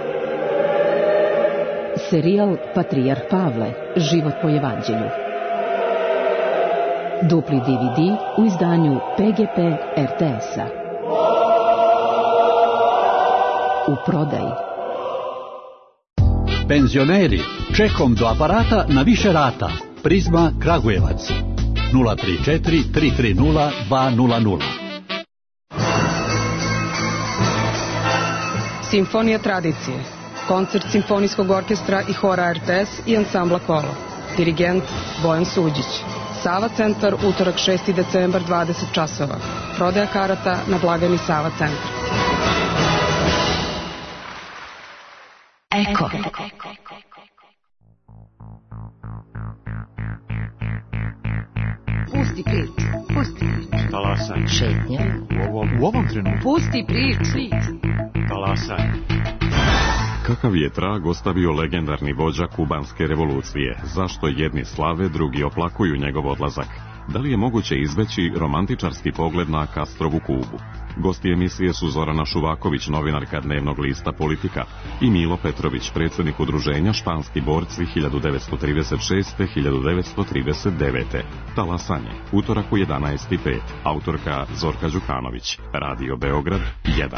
Speaker 8: Serijal Patrijarh Pavle, život po evanđelju. Dupli DVD u izdanju PGP RTS-a. U prodaji.
Speaker 12: Penzioneri, čekom do aparata na više rata. Prizma Kragujevac 034 330 200.
Speaker 13: Simfonija tradicije. Koncert Simfonijskog orkestra i hora RTS i ansambla Kolo. Dirigent Bojan Suđić. Sava centar, utorak 6. decembar 20 časova. Prodaja karata na blagajni Sava centra.
Speaker 8: Eko.
Speaker 1: Pusti priču. Pusti priču.
Speaker 14: Talasaj.
Speaker 1: Šetnja.
Speaker 14: U ovom trenutku.
Speaker 1: Pusti priču.
Speaker 14: Talasaj.
Speaker 15: Kakav je trag ostavio legendarni vođa kubanske revolucije? Zašto jedni slave, drugi oplakuju njegov odlazak? Da li je moguće izbeći romantičarski pogled na Castrovu Kubu? Gosti emisije su Zorana Šuvaković, novinarka dnevnog lista Politika, i Milo Petrović, predsjednik udruženja Španski borci 1936-1939. Talasanje, utorak u 11:05. Autorka Zorka Đukanović. Radio Beograd 1.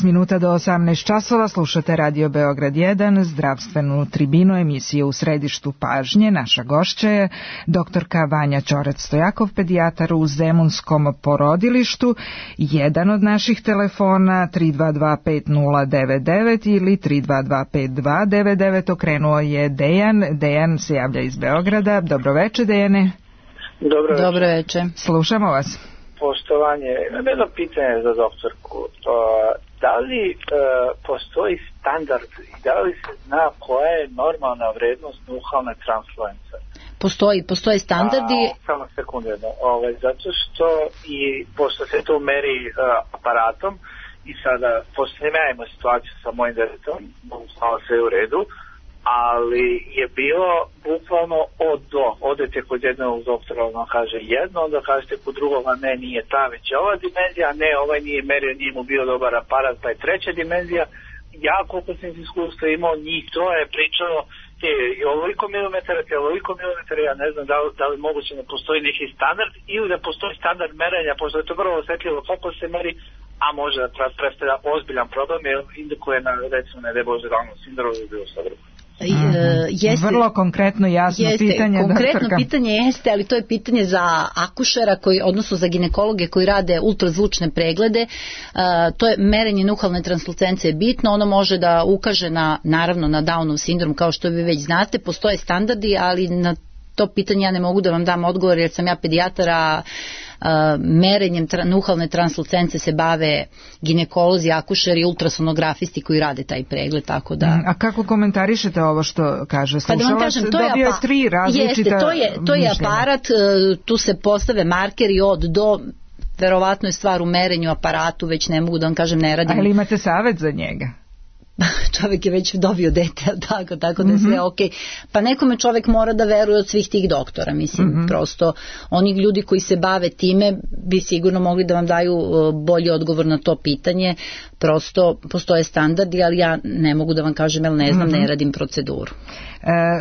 Speaker 4: Minuta do 18 časova, slušate Radio Beograd 1, zdravstvenu tribinu, emisije U središtu pažnje. Naša gošća je doktorka Vanja Ćorac-Stojakov, pedijatar u Zemunskom porodilištu. Jedan od naših telefona 3225099 ili 3225299, okrenuo je Dejan. Dejan se javlja iz Beograda. Dobroveče, Dejane.
Speaker 3: Dobroveče.
Speaker 4: Slušamo vas.
Speaker 16: Poštovanje, imam jedno pitanje za doktorku. Da li postoji standard i da li se zna koja je normalna vrednost nuhalne transfluence?
Speaker 3: Postoje standardi.
Speaker 16: Samo sekundu jedno. Zato što i pošto se to meri aparatom i sada, pošto ja imamo situaciju sa mojim detetom, malo sve u redu, ali je bilo bukvalno od do. Odete kod jednog doktora, on kaže jedno, onda kažete kod drugoga ne, nije ta, već je ova dimenzija, ne, ovaj nije merio, nije mu bio dobar aparat, pa je treća dimenzija. Ja, koliko sam iskustva imao, njih to je pričalo, i ovoliko milimetara, ja ne znam da li moguće da postoji neki standard ili da postoji standard merenja, pošto je to vrlo osjetljivo kako se meri, a može da predstavlja ozbiljan problem, jer indukuje na, recimo, ne daj Bože, Downovu sindromu ili bilo šta drugo.
Speaker 4: Vrlo konkretno, jasno pitanje.
Speaker 3: Konkretno pitanje jeste, ali to je pitanje za akušera, odnosno za ginekologe koji rade ultrazvučne preglede. To je merenje nuhalne translucencije bitno, ono može da ukaže naravno na Downov sindrom, kao što vi već znate. Postoje standardi, ali na to pitanje ja ne mogu da vam dam odgovor, jer sam ja pedijatar, a merenjem nuhalne translucence se bave ginekolozi, akušeri, ultrasonografisti koji rade taj pregled, tako da...
Speaker 4: A kako komentarišete ovo što kaže slušalac? Dobio je 3 različita
Speaker 3: mišljenja. To je aparat, tu se postave markeri od do, verovatno je stvar u merenju aparatu, već ne mogu da vam kažem, ne radim.
Speaker 4: Ali imate savjet za njega?
Speaker 3: čovjek je već dobio dete, tako da je sve okej. Pa nekome čovjek mora da veruje od svih tih doktora, mislim, prosto oni ljudi koji se bave time bi sigurno mogli da vam daju bolji odgovor na to pitanje, prosto postoje standardi, ali ja ne mogu da vam kažem, jer ne znam, ne radim proceduru.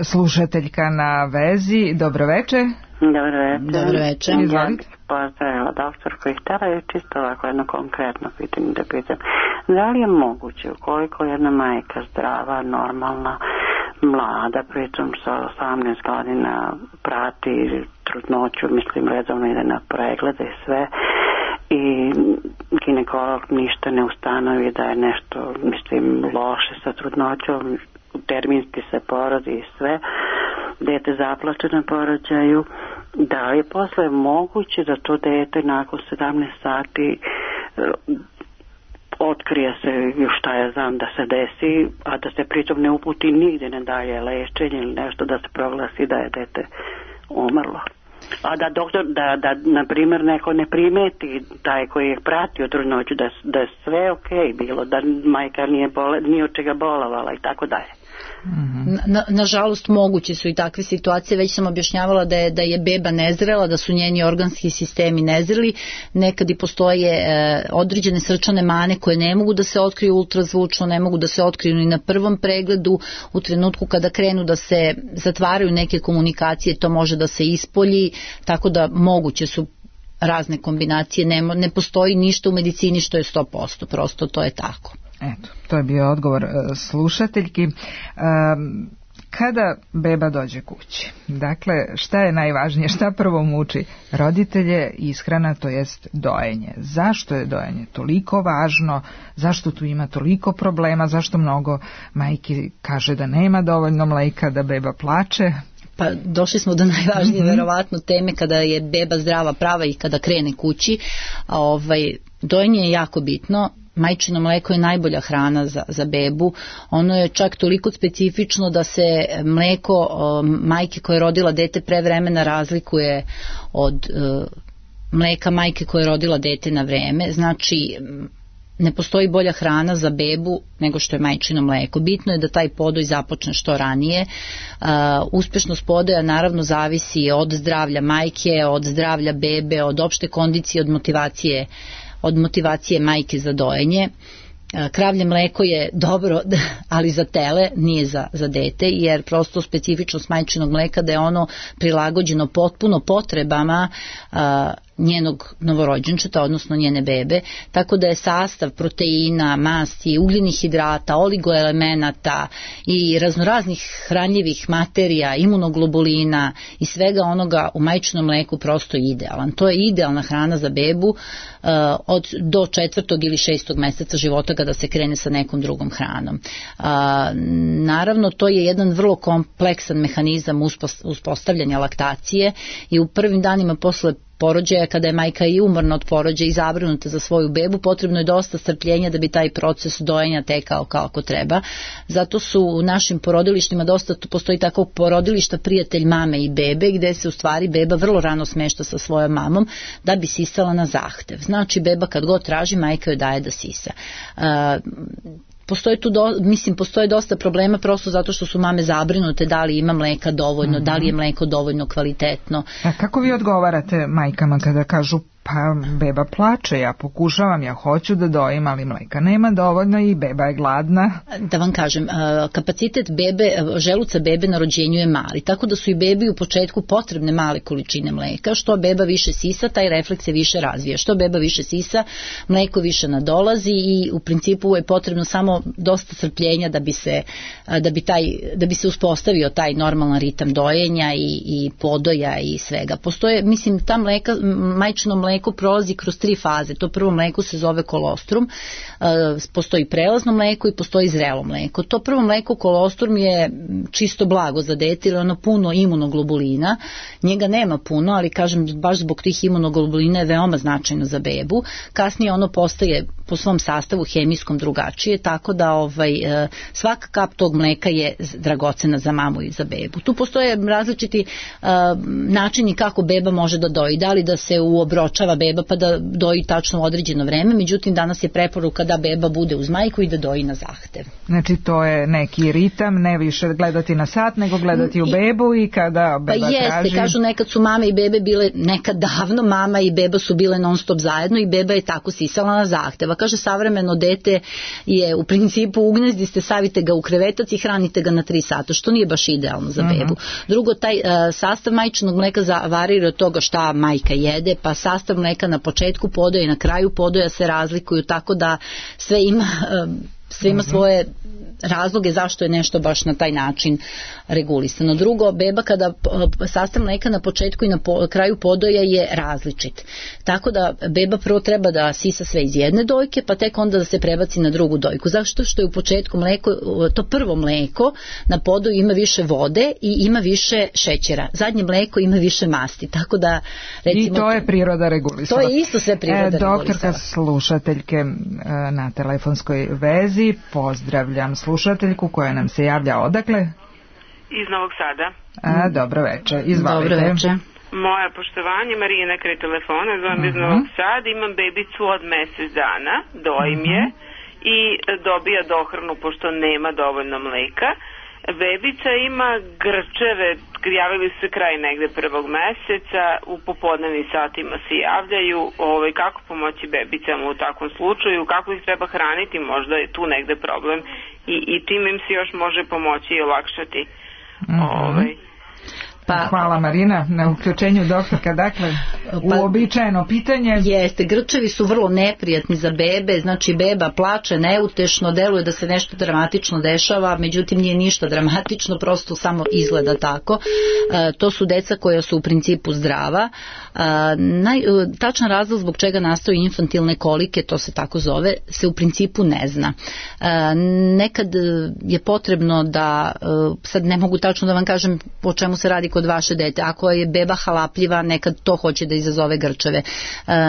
Speaker 4: Slušateljka na vezi, dobro večer.
Speaker 17: Dobro večer.
Speaker 4: Izvolite.
Speaker 17: Pozdravila doktorku i htjela je čisto ovako jedno konkretno pitanje da pitam. Da li je moguće ukoliko jedna majka zdrava, normalna, mlada, pritom sa 18 godina prati trudnoću, mislim redovno ide na preglede i sve, i ginekolog ništa ne ustanovi da je nešto, mislim, loše sa trudnoćom, terminski se porodi i sve, dete zaplače na porođaju, da li je posle moguće da to dete nakon 17 sati otkrije se šta je znam da se desi, a da se pritom ne uputi nigdje na dalje lečenje ili nešto, da se proglasi da je dete umrlo. A da doktor, da na primjer neko ne primeti taj koji je pratio trudnoću, da je sve okej bilo, da majka nije od čega bolovala i tako dalje.
Speaker 3: Nažalost moguće su i takve situacije, već sam objašnjavala da je beba nezrela, da su njeni organski sistemi nezreli, nekad i postoje određene srčane mane koje ne mogu da se otkriju ultrazvučno, ne mogu da se otkriju ni na prvom pregledu, u trenutku kada krenu da se zatvaraju neke komunikacije to može da se ispolji, tako da moguće su razne kombinacije, ne postoji ništa u medicini što je 100%, prosto to je tako.
Speaker 4: Eto, to je bio odgovor slušateljki. Kada beba dođe kući, dakle, šta je najvažnije, šta prvo muči roditelje? Ishrana, to jest dojenje. Zašto je dojenje toliko važno, zašto tu ima toliko problema, zašto mnogo majki kaže da nema dovoljno mleka, da beba plače?
Speaker 3: Pa došli smo do najvažnije verovatno teme kada je beba zdrava, prava i kada krene kući. Dojenje je jako bitno. Majčino mleko je najbolja hrana za bebu. Ono je čak toliko specifično da se mleko majke koja je rodila dete pre vremena razlikuje od mleka majke koja je rodila dete na vreme. Znači, ne postoji bolja hrana za bebu nego što je majčino mleko. Bitno je da taj podoj započne što ranije. Uspešnost podoja naravno zavisi od zdravlja majke, od zdravlja bebe, od opšte kondicije, od motivacije majke za dojenje. Kravlje mleko je dobro, ali za tele, nije za dete, jer prosto specifičnost majčinog mleka da je ono prilagođeno potpuno potrebama njenog novorođenčeta, odnosno njene bebe, tako da je sastav proteina, masti, ugljenih hidrata, oligoelemenata i raznoraznih hranljivih materija, imunoglobulina i svega onoga u majčinom mleku prosto idealan. To je idealna hrana za bebu do 4. ili 6. meseca života kada se krene sa nekom drugom hranom. Naravno, to je jedan vrlo kompleksan mehanizam uspostavljanja laktacije i u prvim danima posle porođaja, kada je majka i umorna od porođaja i zabrinuta za svoju bebu, potrebno je dosta strpljenja da bi taj proces dojenja tekao kako treba. Zato su u našim porodilištima postoji tako porodilišta prijatelj mame i bebe, gde se u stvari beba vrlo rano smešta sa svojom mamom da bi sisala na zahtev. Znači, beba kad god traži, majka joj daje da sisa. Postoje dosta problema prosto zato što su mame zabrinute da li ima mleka dovoljno, da li je mleko dovoljno kvalitetno.
Speaker 4: A kako vi odgovarate majkama kada kažu pa beba plače, ja pokušavam, ja hoću da dojim, ali mleka nema dovoljno i beba je gladna?
Speaker 3: Da vam kažem, kapacitet želuca bebe na rođenju je mali, tako da su i bebi u početku potrebne male količine mleka. Što beba više sisa, taj refleks se više razvija. Što beba više sisa, mleko više nadolazi i u principu je potrebno samo dosta strpljenja da bi se uspostavio taj normalan ritam dojenja i podoja i svega. Postoje, mislim, ta majčino mleko prolazi kroz 3 faze. To prvo mleko se zove kolostrum, postoji prelazno mleko i postoji zrelo mleko. To prvo mleko kolostrum je čisto blago za dete, jer ono puno imunoglobulina. Njega nema puno, ali kažem baš zbog tih imunoglobulina je veoma značajno za bebu. Kasnije ono po svom sastavu hemijskom drugačije, tako da svaka kap tog mleka je dragocena za mamu i za bebu. Tu postoje različiti načini kako beba može da doji, da li da se uobročava beba pa da doji tačno u određeno vreme, međutim danas je preporuka da beba bude uz majku i da doji na zahtev.
Speaker 4: Znači to je neki ritam, ne više gledati na sat, nego gledati u bebu i kada beba traži.
Speaker 3: Pa jeste, kažu nekad su mame i bebe bile, nekad davno mama i beba su bile non stop zajedno i beba je tako sisala na zahteva. Kaže savremeno dete je u principu u gnezdi ste, savite ga u krevetac i hranite ga na 3 sata, što nije baš idealno za bebu. Drugo, taj sastav majčinog mleka varira od toga šta majka jede, pa sastav mleka na početku podoja i na kraju podoja se razlikuju, tako da sve ima svoje razloge zašto je nešto baš na taj način regulisano. Drugo, beba kada sastav mleka na početku i na kraju podoja je različit. Tako da beba prvo treba da sisa sve iz jedne dojke, pa tek onda da se prebaci na drugu dojku. Zašto? Što je u početku mleko, to prvo mleko na podoju ima više vode i ima više šećera. Zadnje mleko ima više masti. Tako da, recimo,
Speaker 4: i to je priroda regulisala.
Speaker 3: To je isto sve priroda regulisala.
Speaker 4: Doktorka slušateljke na telefonskoj vezi, pozdravljam slušateljku koja nam se javlja odakle?
Speaker 18: Iz Novog Sada.
Speaker 4: Dobro večer, izvalite.
Speaker 3: Dobro večer.
Speaker 18: Moje poštovanje, Marina kraj telefona, zovem iz Novog Sada, imam bebicu od mjesec dana, dojim je i dobija dohranu pošto nema dovoljno mleka. Bebica ima grčeve, javili se kraj negde 1. meseca, u popodnevnim satima se javljaju, kako pomoći bebicama u takvom slučaju, kako ih treba hraniti, možda je tu negde problem i tim im se još može pomoći i olakšati.
Speaker 4: Hvala Marina na uključenju, doktorka. Dakle, uobičajeno pitanje.
Speaker 3: Jeste, grčevi su vrlo neprijatni za bebe, znači beba plače neutešno, deluje da se nešto dramatično dešava, međutim nije ništa dramatično, prosto samo izgleda tako. To su deca koja su u principu zdrava. Tačan razlog zbog čega nastaju infantilne kolike, to se tako zove, se u principu ne zna. Nekad je potrebno da, sad ne mogu tačno da vam kažem o čemu se radi kod vaše dete, ako je beba halapljiva, nekad to hoće da izazove grčeve.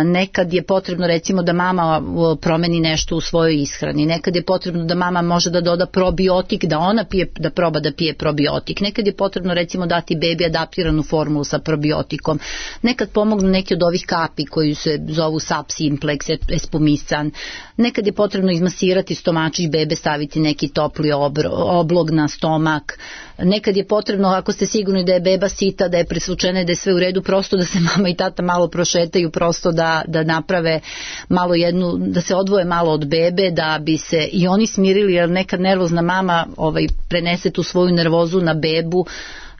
Speaker 3: Nekad je potrebno recimo da mama promeni nešto u svojoj ishrani, nekad je potrebno da mama može da doda probiotik, da ona da proba da pije probiotik, nekad je potrebno recimo dati bebi adaptiranu formulu sa probiotikom, nekad pomognu neki od ovih kapi koji se zovu Sap Simplex, Espumisan, nekad je potrebno izmasirati stomačić bebe, staviti neki topli oblog na stomak, nekad je potrebno, ako ste sigurni da je beba sita, da je presvučena, da je sve u redu, prosto da se mama i tata malo prošetaju, prosto da naprave malo da se odvoje malo od bebe, da bi se i oni smirili, jer nekad nervozna mama prenese tu svoju nervozu na bebu,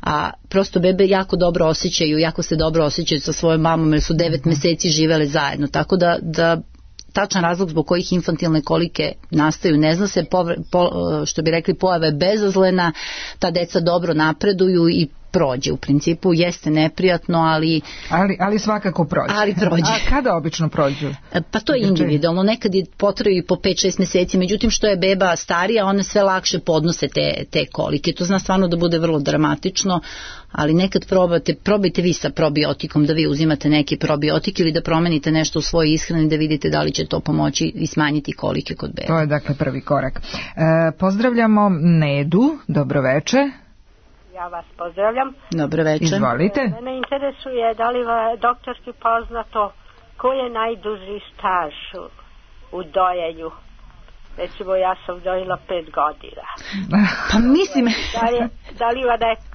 Speaker 3: a prosto bebe jako se dobro osjećaju sa svojom mamom, jer su 9 meseci živele zajedno, tako da tačan razlog zbog kojih infantilne kolike nastaju ne zna se, što bi rekli pojave bezazlena, ta deca dobro napreduju i prođe. U principu jeste neprijatno,
Speaker 4: ali svakako prođe. A kada obično prođu?
Speaker 3: Pa to je individualno, nekad je potrebno i po 5-6 meseci, međutim što je beba starija, one sve lakše podnose te kolike. To zna stvarno da bude vrlo dramatično, ali nekad probajte vi sa probiotikom, da vi uzimate neki probiotik ili da promenite nešto u svojoj ishrani, da vidite da li će to pomoći i smanjiti kolike kod bebe.
Speaker 4: To je dakle prvi korak. Pozdravljamo Nedu, dobro večer.
Speaker 19: Ja vas pozdravljam.
Speaker 3: Dobro večer.
Speaker 4: Izvolite.
Speaker 19: Mene interesuje da li doktorski poznato ko je najduži staž u dojenju. Recimo ja sam dojela 5 godina.
Speaker 3: Pa mislim...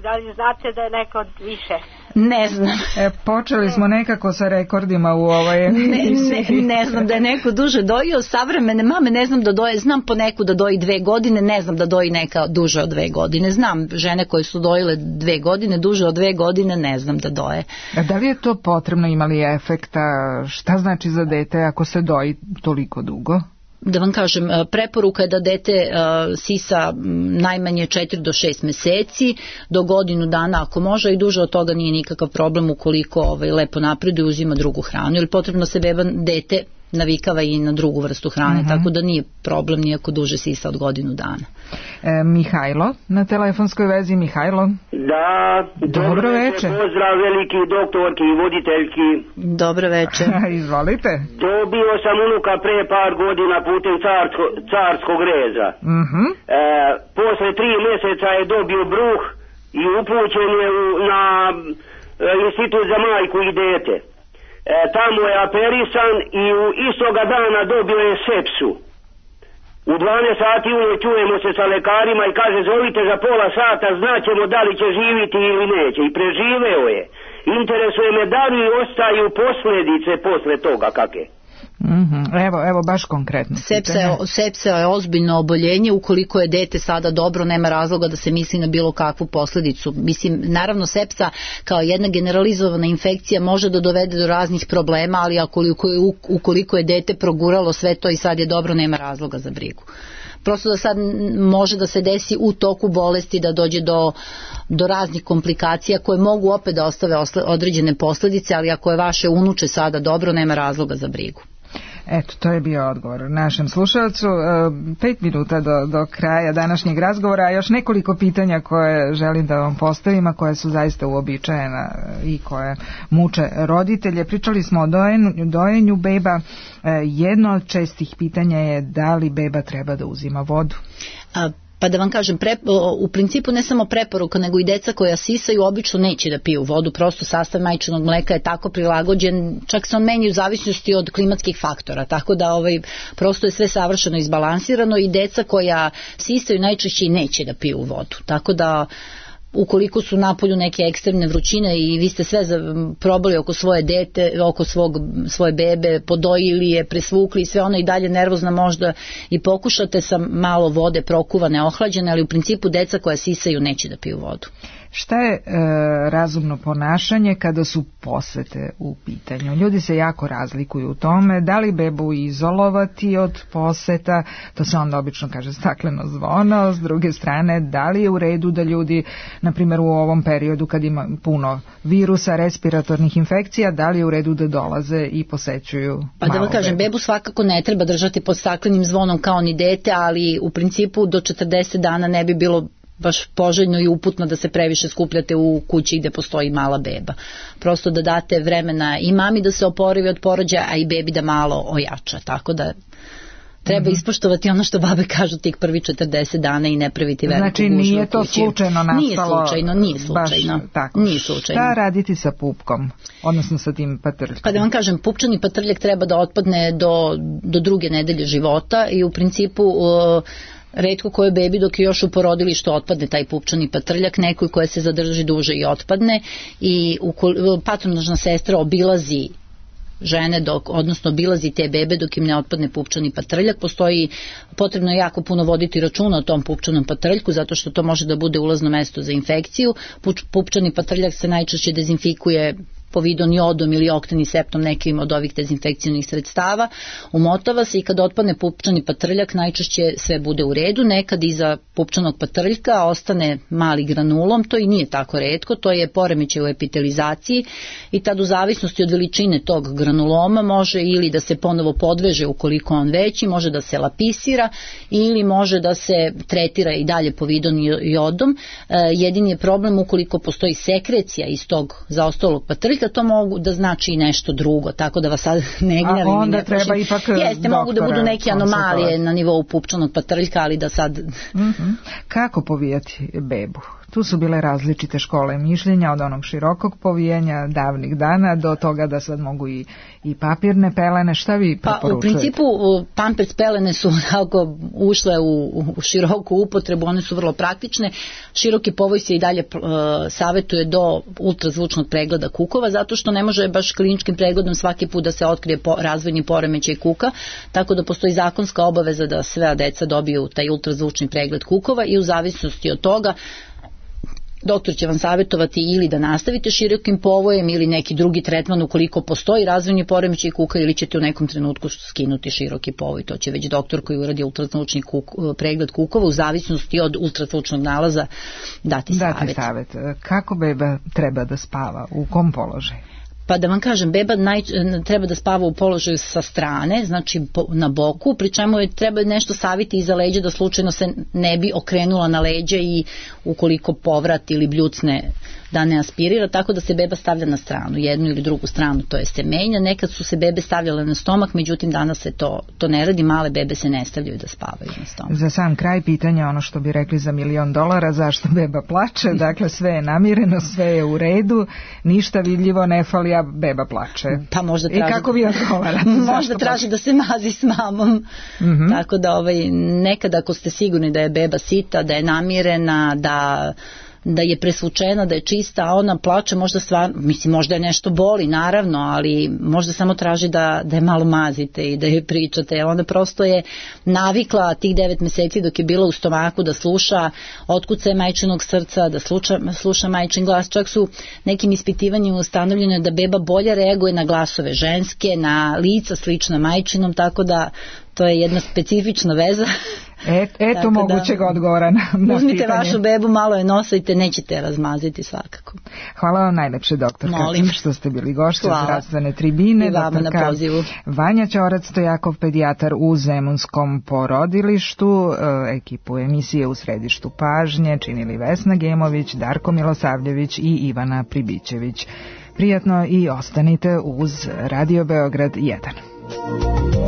Speaker 19: Da li znate da je neko više?
Speaker 3: Ne znam.
Speaker 4: Počeli smo nekako sa rekordima u ovoj emisiji.
Speaker 3: Ne znam da je neko duže dojio. Savremene mame ne znam da doje. Znam po neku da doji 2 godine, ne znam da doji neka duže od 2 godine. Znam žene koje su dojile 2 godine, duže od 2 godine, ne znam da doje.
Speaker 4: Da li je to potrebno, imali efekta? Šta znači za dete ako se doji toliko dugo?
Speaker 3: Da vam kažem, preporuka je da dete sisa najmanje 4 do 6 meseci, do godinu dana ako može, i duže od toga nije nikakav problem ukoliko lepo napreduje, uzima drugu hranu, ili potrebno se dete navikava i na drugu vrstu hrane, tako da nije problem nijako duže sisa od godinu dana.
Speaker 4: Mihajlo na telefonskoj vezi. Mihajlo.
Speaker 20: Da,
Speaker 4: dobro večer.
Speaker 20: Pozdrav veliki doktorki i voditeljki.
Speaker 3: Dobro večer.
Speaker 4: Izvolite.
Speaker 20: Dobio sam unuka pre par godina putem carskog reza. Posle 3 mjeseca je dobio bruh i upućen je na institut za majku i dete. Tamo je operisan i istoga dana dobio je sepsu. U 12 sati ujutro čujemo se sa lekarima i kaže zovite za pola sata, znaćemo da li će živiti ili neće. I preživeo je. Interesuje me da li ostaju posljedice posle toga kakve.
Speaker 4: Evo baš konkretno.
Speaker 3: Sepsa je ozbiljno oboljenje, ukoliko je dete sada dobro, nema razloga da se misli na bilo kakvu posljedicu. Mislim, naravno sepsa kao jedna generalizovana infekcija može da dovede do raznih problema, ali ukoliko je dete proguralo sve to i sad je dobro, nema razloga za brigu. Prosto da sad može da se desi u toku bolesti da dođe do raznih komplikacija koje mogu opet da ostave određene posljedice, ali ako je vaše unuče sada dobro, nema razloga za brigu.
Speaker 4: Eto, to je bio odgovor našem slušalcu. 5 minuta do kraja današnjeg razgovora, a još nekoliko pitanja koje želim da vam postavim, a koje su zaista uobičajena i koje muče roditelje. Pričali smo o dojenju beba. Jedno od čestih pitanja je da li beba treba da uzima vodu?
Speaker 3: Pa da vam kažem, u principu ne samo preporuka, nego i deca koja sisaju obično neće da piju vodu, prosto sastav majčinog mleka je tako prilagođen, čak se on menja u zavisnosti od klimatskih faktora, tako da prosto je sve savršeno izbalansirano i deca koja sisaju najčešće i neće da piju vodu, tako da ukoliko su napolju neke ekstremne vrućine i vi ste sve probali oko svoje dete, oko svoje bebe, podojili je, presvukli i sve ono i dalje nervozna možda i pokušate sa malo vode prokuvane, ohlađene, ali u principu deca koja sisaju neće da piju vodu.
Speaker 4: Šta je razumno ponašanje kada su posete u pitanju? Ljudi se jako razlikuju u tome, da li bebu izolovati od poseta, to se onda obično kaže stakleno zvono, s druge strane, da li je u redu da ljudi, na primjer u ovom periodu kad ima puno virusa, respiratornih infekcija, da li je u redu da dolaze i posećuju
Speaker 3: Pa da vam kažem, bebu svakako ne treba držati pod staklenim zvonom kao ni dete, ali u principu do 40 dana ne bi bilo baš poželjno i uputno da se previše skupljate u kući gde postoji mala beba. Prosto da date vremena i mami da se oporavi od porođaja, a i bebi da malo ojača. Tako da treba ispoštovati ono što babe kažu tih prvi 40 dana i ne praviti veliku gužvu u kući.
Speaker 4: Znači nije to slučajno nastalo?
Speaker 3: Nije slučajno. Nije slučajno.
Speaker 4: Šta raditi sa pupkom, odnosno sa tim patrljkom?
Speaker 3: Pa da vam kažem, pupčani patrljak treba da otpadne do 2. nedelje života i u principu retko koje bebi dok je još u porodilištu otpadne taj pupčani patrljak, nekoj koje se zadrži duže i otpadne i patronažna sestra obilazi žene odnosno obilazi te bebe dok im ne otpadne pupčani patrljak. Potrebno je jako puno voditi računa o tom pupčanom patrljku zato što to može da bude ulazno mesto za infekciju. Pupčani patrljak se najčešće dezinfikuje povidon jodom ili oktaniseptom, nekim od ovih dezinfekcijnih sredstava, umotava se i kad otpadne pupčani patrljak najčešće sve bude u redu. Nekad iza pupčanog patrljka ostane mali granulom, to i nije tako retko, to je poremećaj u epitelizaciji i tad u zavisnosti od veličine tog granuloma može ili da se ponovo podveže ukoliko on veći, može da se lapisira ili može da se tretira i dalje povidon jodom. Jedini je problem ukoliko postoji sekrecija iz tog zaostalog patrljka, to mogu da znači i nešto drugo, tako da vas sad ne gnjavim.
Speaker 4: A onda treba ipak
Speaker 3: mogu da budu neke anomalije na nivou pupčanog patrljka, ali da sad...
Speaker 4: Kako povijati bebu? Tu su bile različite škole mišljenja, od onog širokog povijanja davnih dana do toga da sad mogu i papirne pelene. Šta vi preporučujete?
Speaker 3: Pa u principu pampers pelene su ušle u široku upotrebu, one su vrlo praktične. Široki povoj se i dalje savjetuje do ultrazvučnog pregleda kukova, zato što ne može baš kliničkim pregledom svaki put da se otkrije razvojni poremećaj kuka, tako da postoji zakonska obaveza da sve deca dobiju taj ultrazvučni pregled kukova i u zavisnosti od toga doktor će vam savjetovati ili da nastavite širokim povojem ili neki drugi tretman ukoliko postoji razvojni poremećaj kuka ili ćete u nekom trenutku skinuti široki povoj. To će već doktor koji uradi ultrazvučni pregled kukova u zavisnosti od ultrazvučnog nalaza dati savjet.
Speaker 4: Kako beba treba da spava? U kom položaju?
Speaker 3: Pa da vam kažem, beba treba da spava u položaju sa strane, znači na boku, pri čemu je treba nešto saviti iza leđa da slučajno se ne bi okrenula na leđa i ukoliko povrat ili bljucne da ne aspirira, tako da se beba stavlja na stranu, jednu ili drugu stranu, to je se menja. Nekad su se bebe stavljale na stomak, međutim danas se to ne radi, male bebe se ne stavljaju da spavaju na stomak.
Speaker 4: Za sam kraj pitanja, ono što bi rekli za $1.000.000, zašto beba plače? Dakle, sve je namireno, sve je u redu, ništa vidljivo ne fali, a beba plače.
Speaker 3: Pa možda traži,
Speaker 4: i kako vi odgovarate?
Speaker 3: Možda traži da se mazi s mamom. Tako da nekad ako ste sigurni da je beba sita, da je namirena, da je presvučena, da je čista, a ona plače, možda stvarno, mislim, možda je nešto boli, naravno, ali možda samo traži da je malo mazite i da je pričate, jer onda prosto je navikla tih 9 meseci dok je bila u stomaku da sluša otkucaje majčinog srca, da sluša majčin glas. Čak su nekim ispitivanjima ustanovljeno da beba bolje reaguje na glasove ženske, na lica slična majčinom, tako da to je jedna specifična veza.
Speaker 4: Eto mogućeg odgovora na pitanje.
Speaker 3: Uzmite vašu bebu, malo je nosajte, nećete razmaziti svakako.
Speaker 4: Hvala vam najlepše, doktorka, što ste bili gošće zdravstvene tribine.
Speaker 3: I vama na pozivu.
Speaker 4: Vanja Ćorac Stojakov, pedijatar u Zemunskom porodilištu. Ekipu emisije U središtu pažnje činili Vesna Gemović, Darko Milosavljević i Ivana Pribićević. Prijatno i ostanite uz Radio Beograd 1.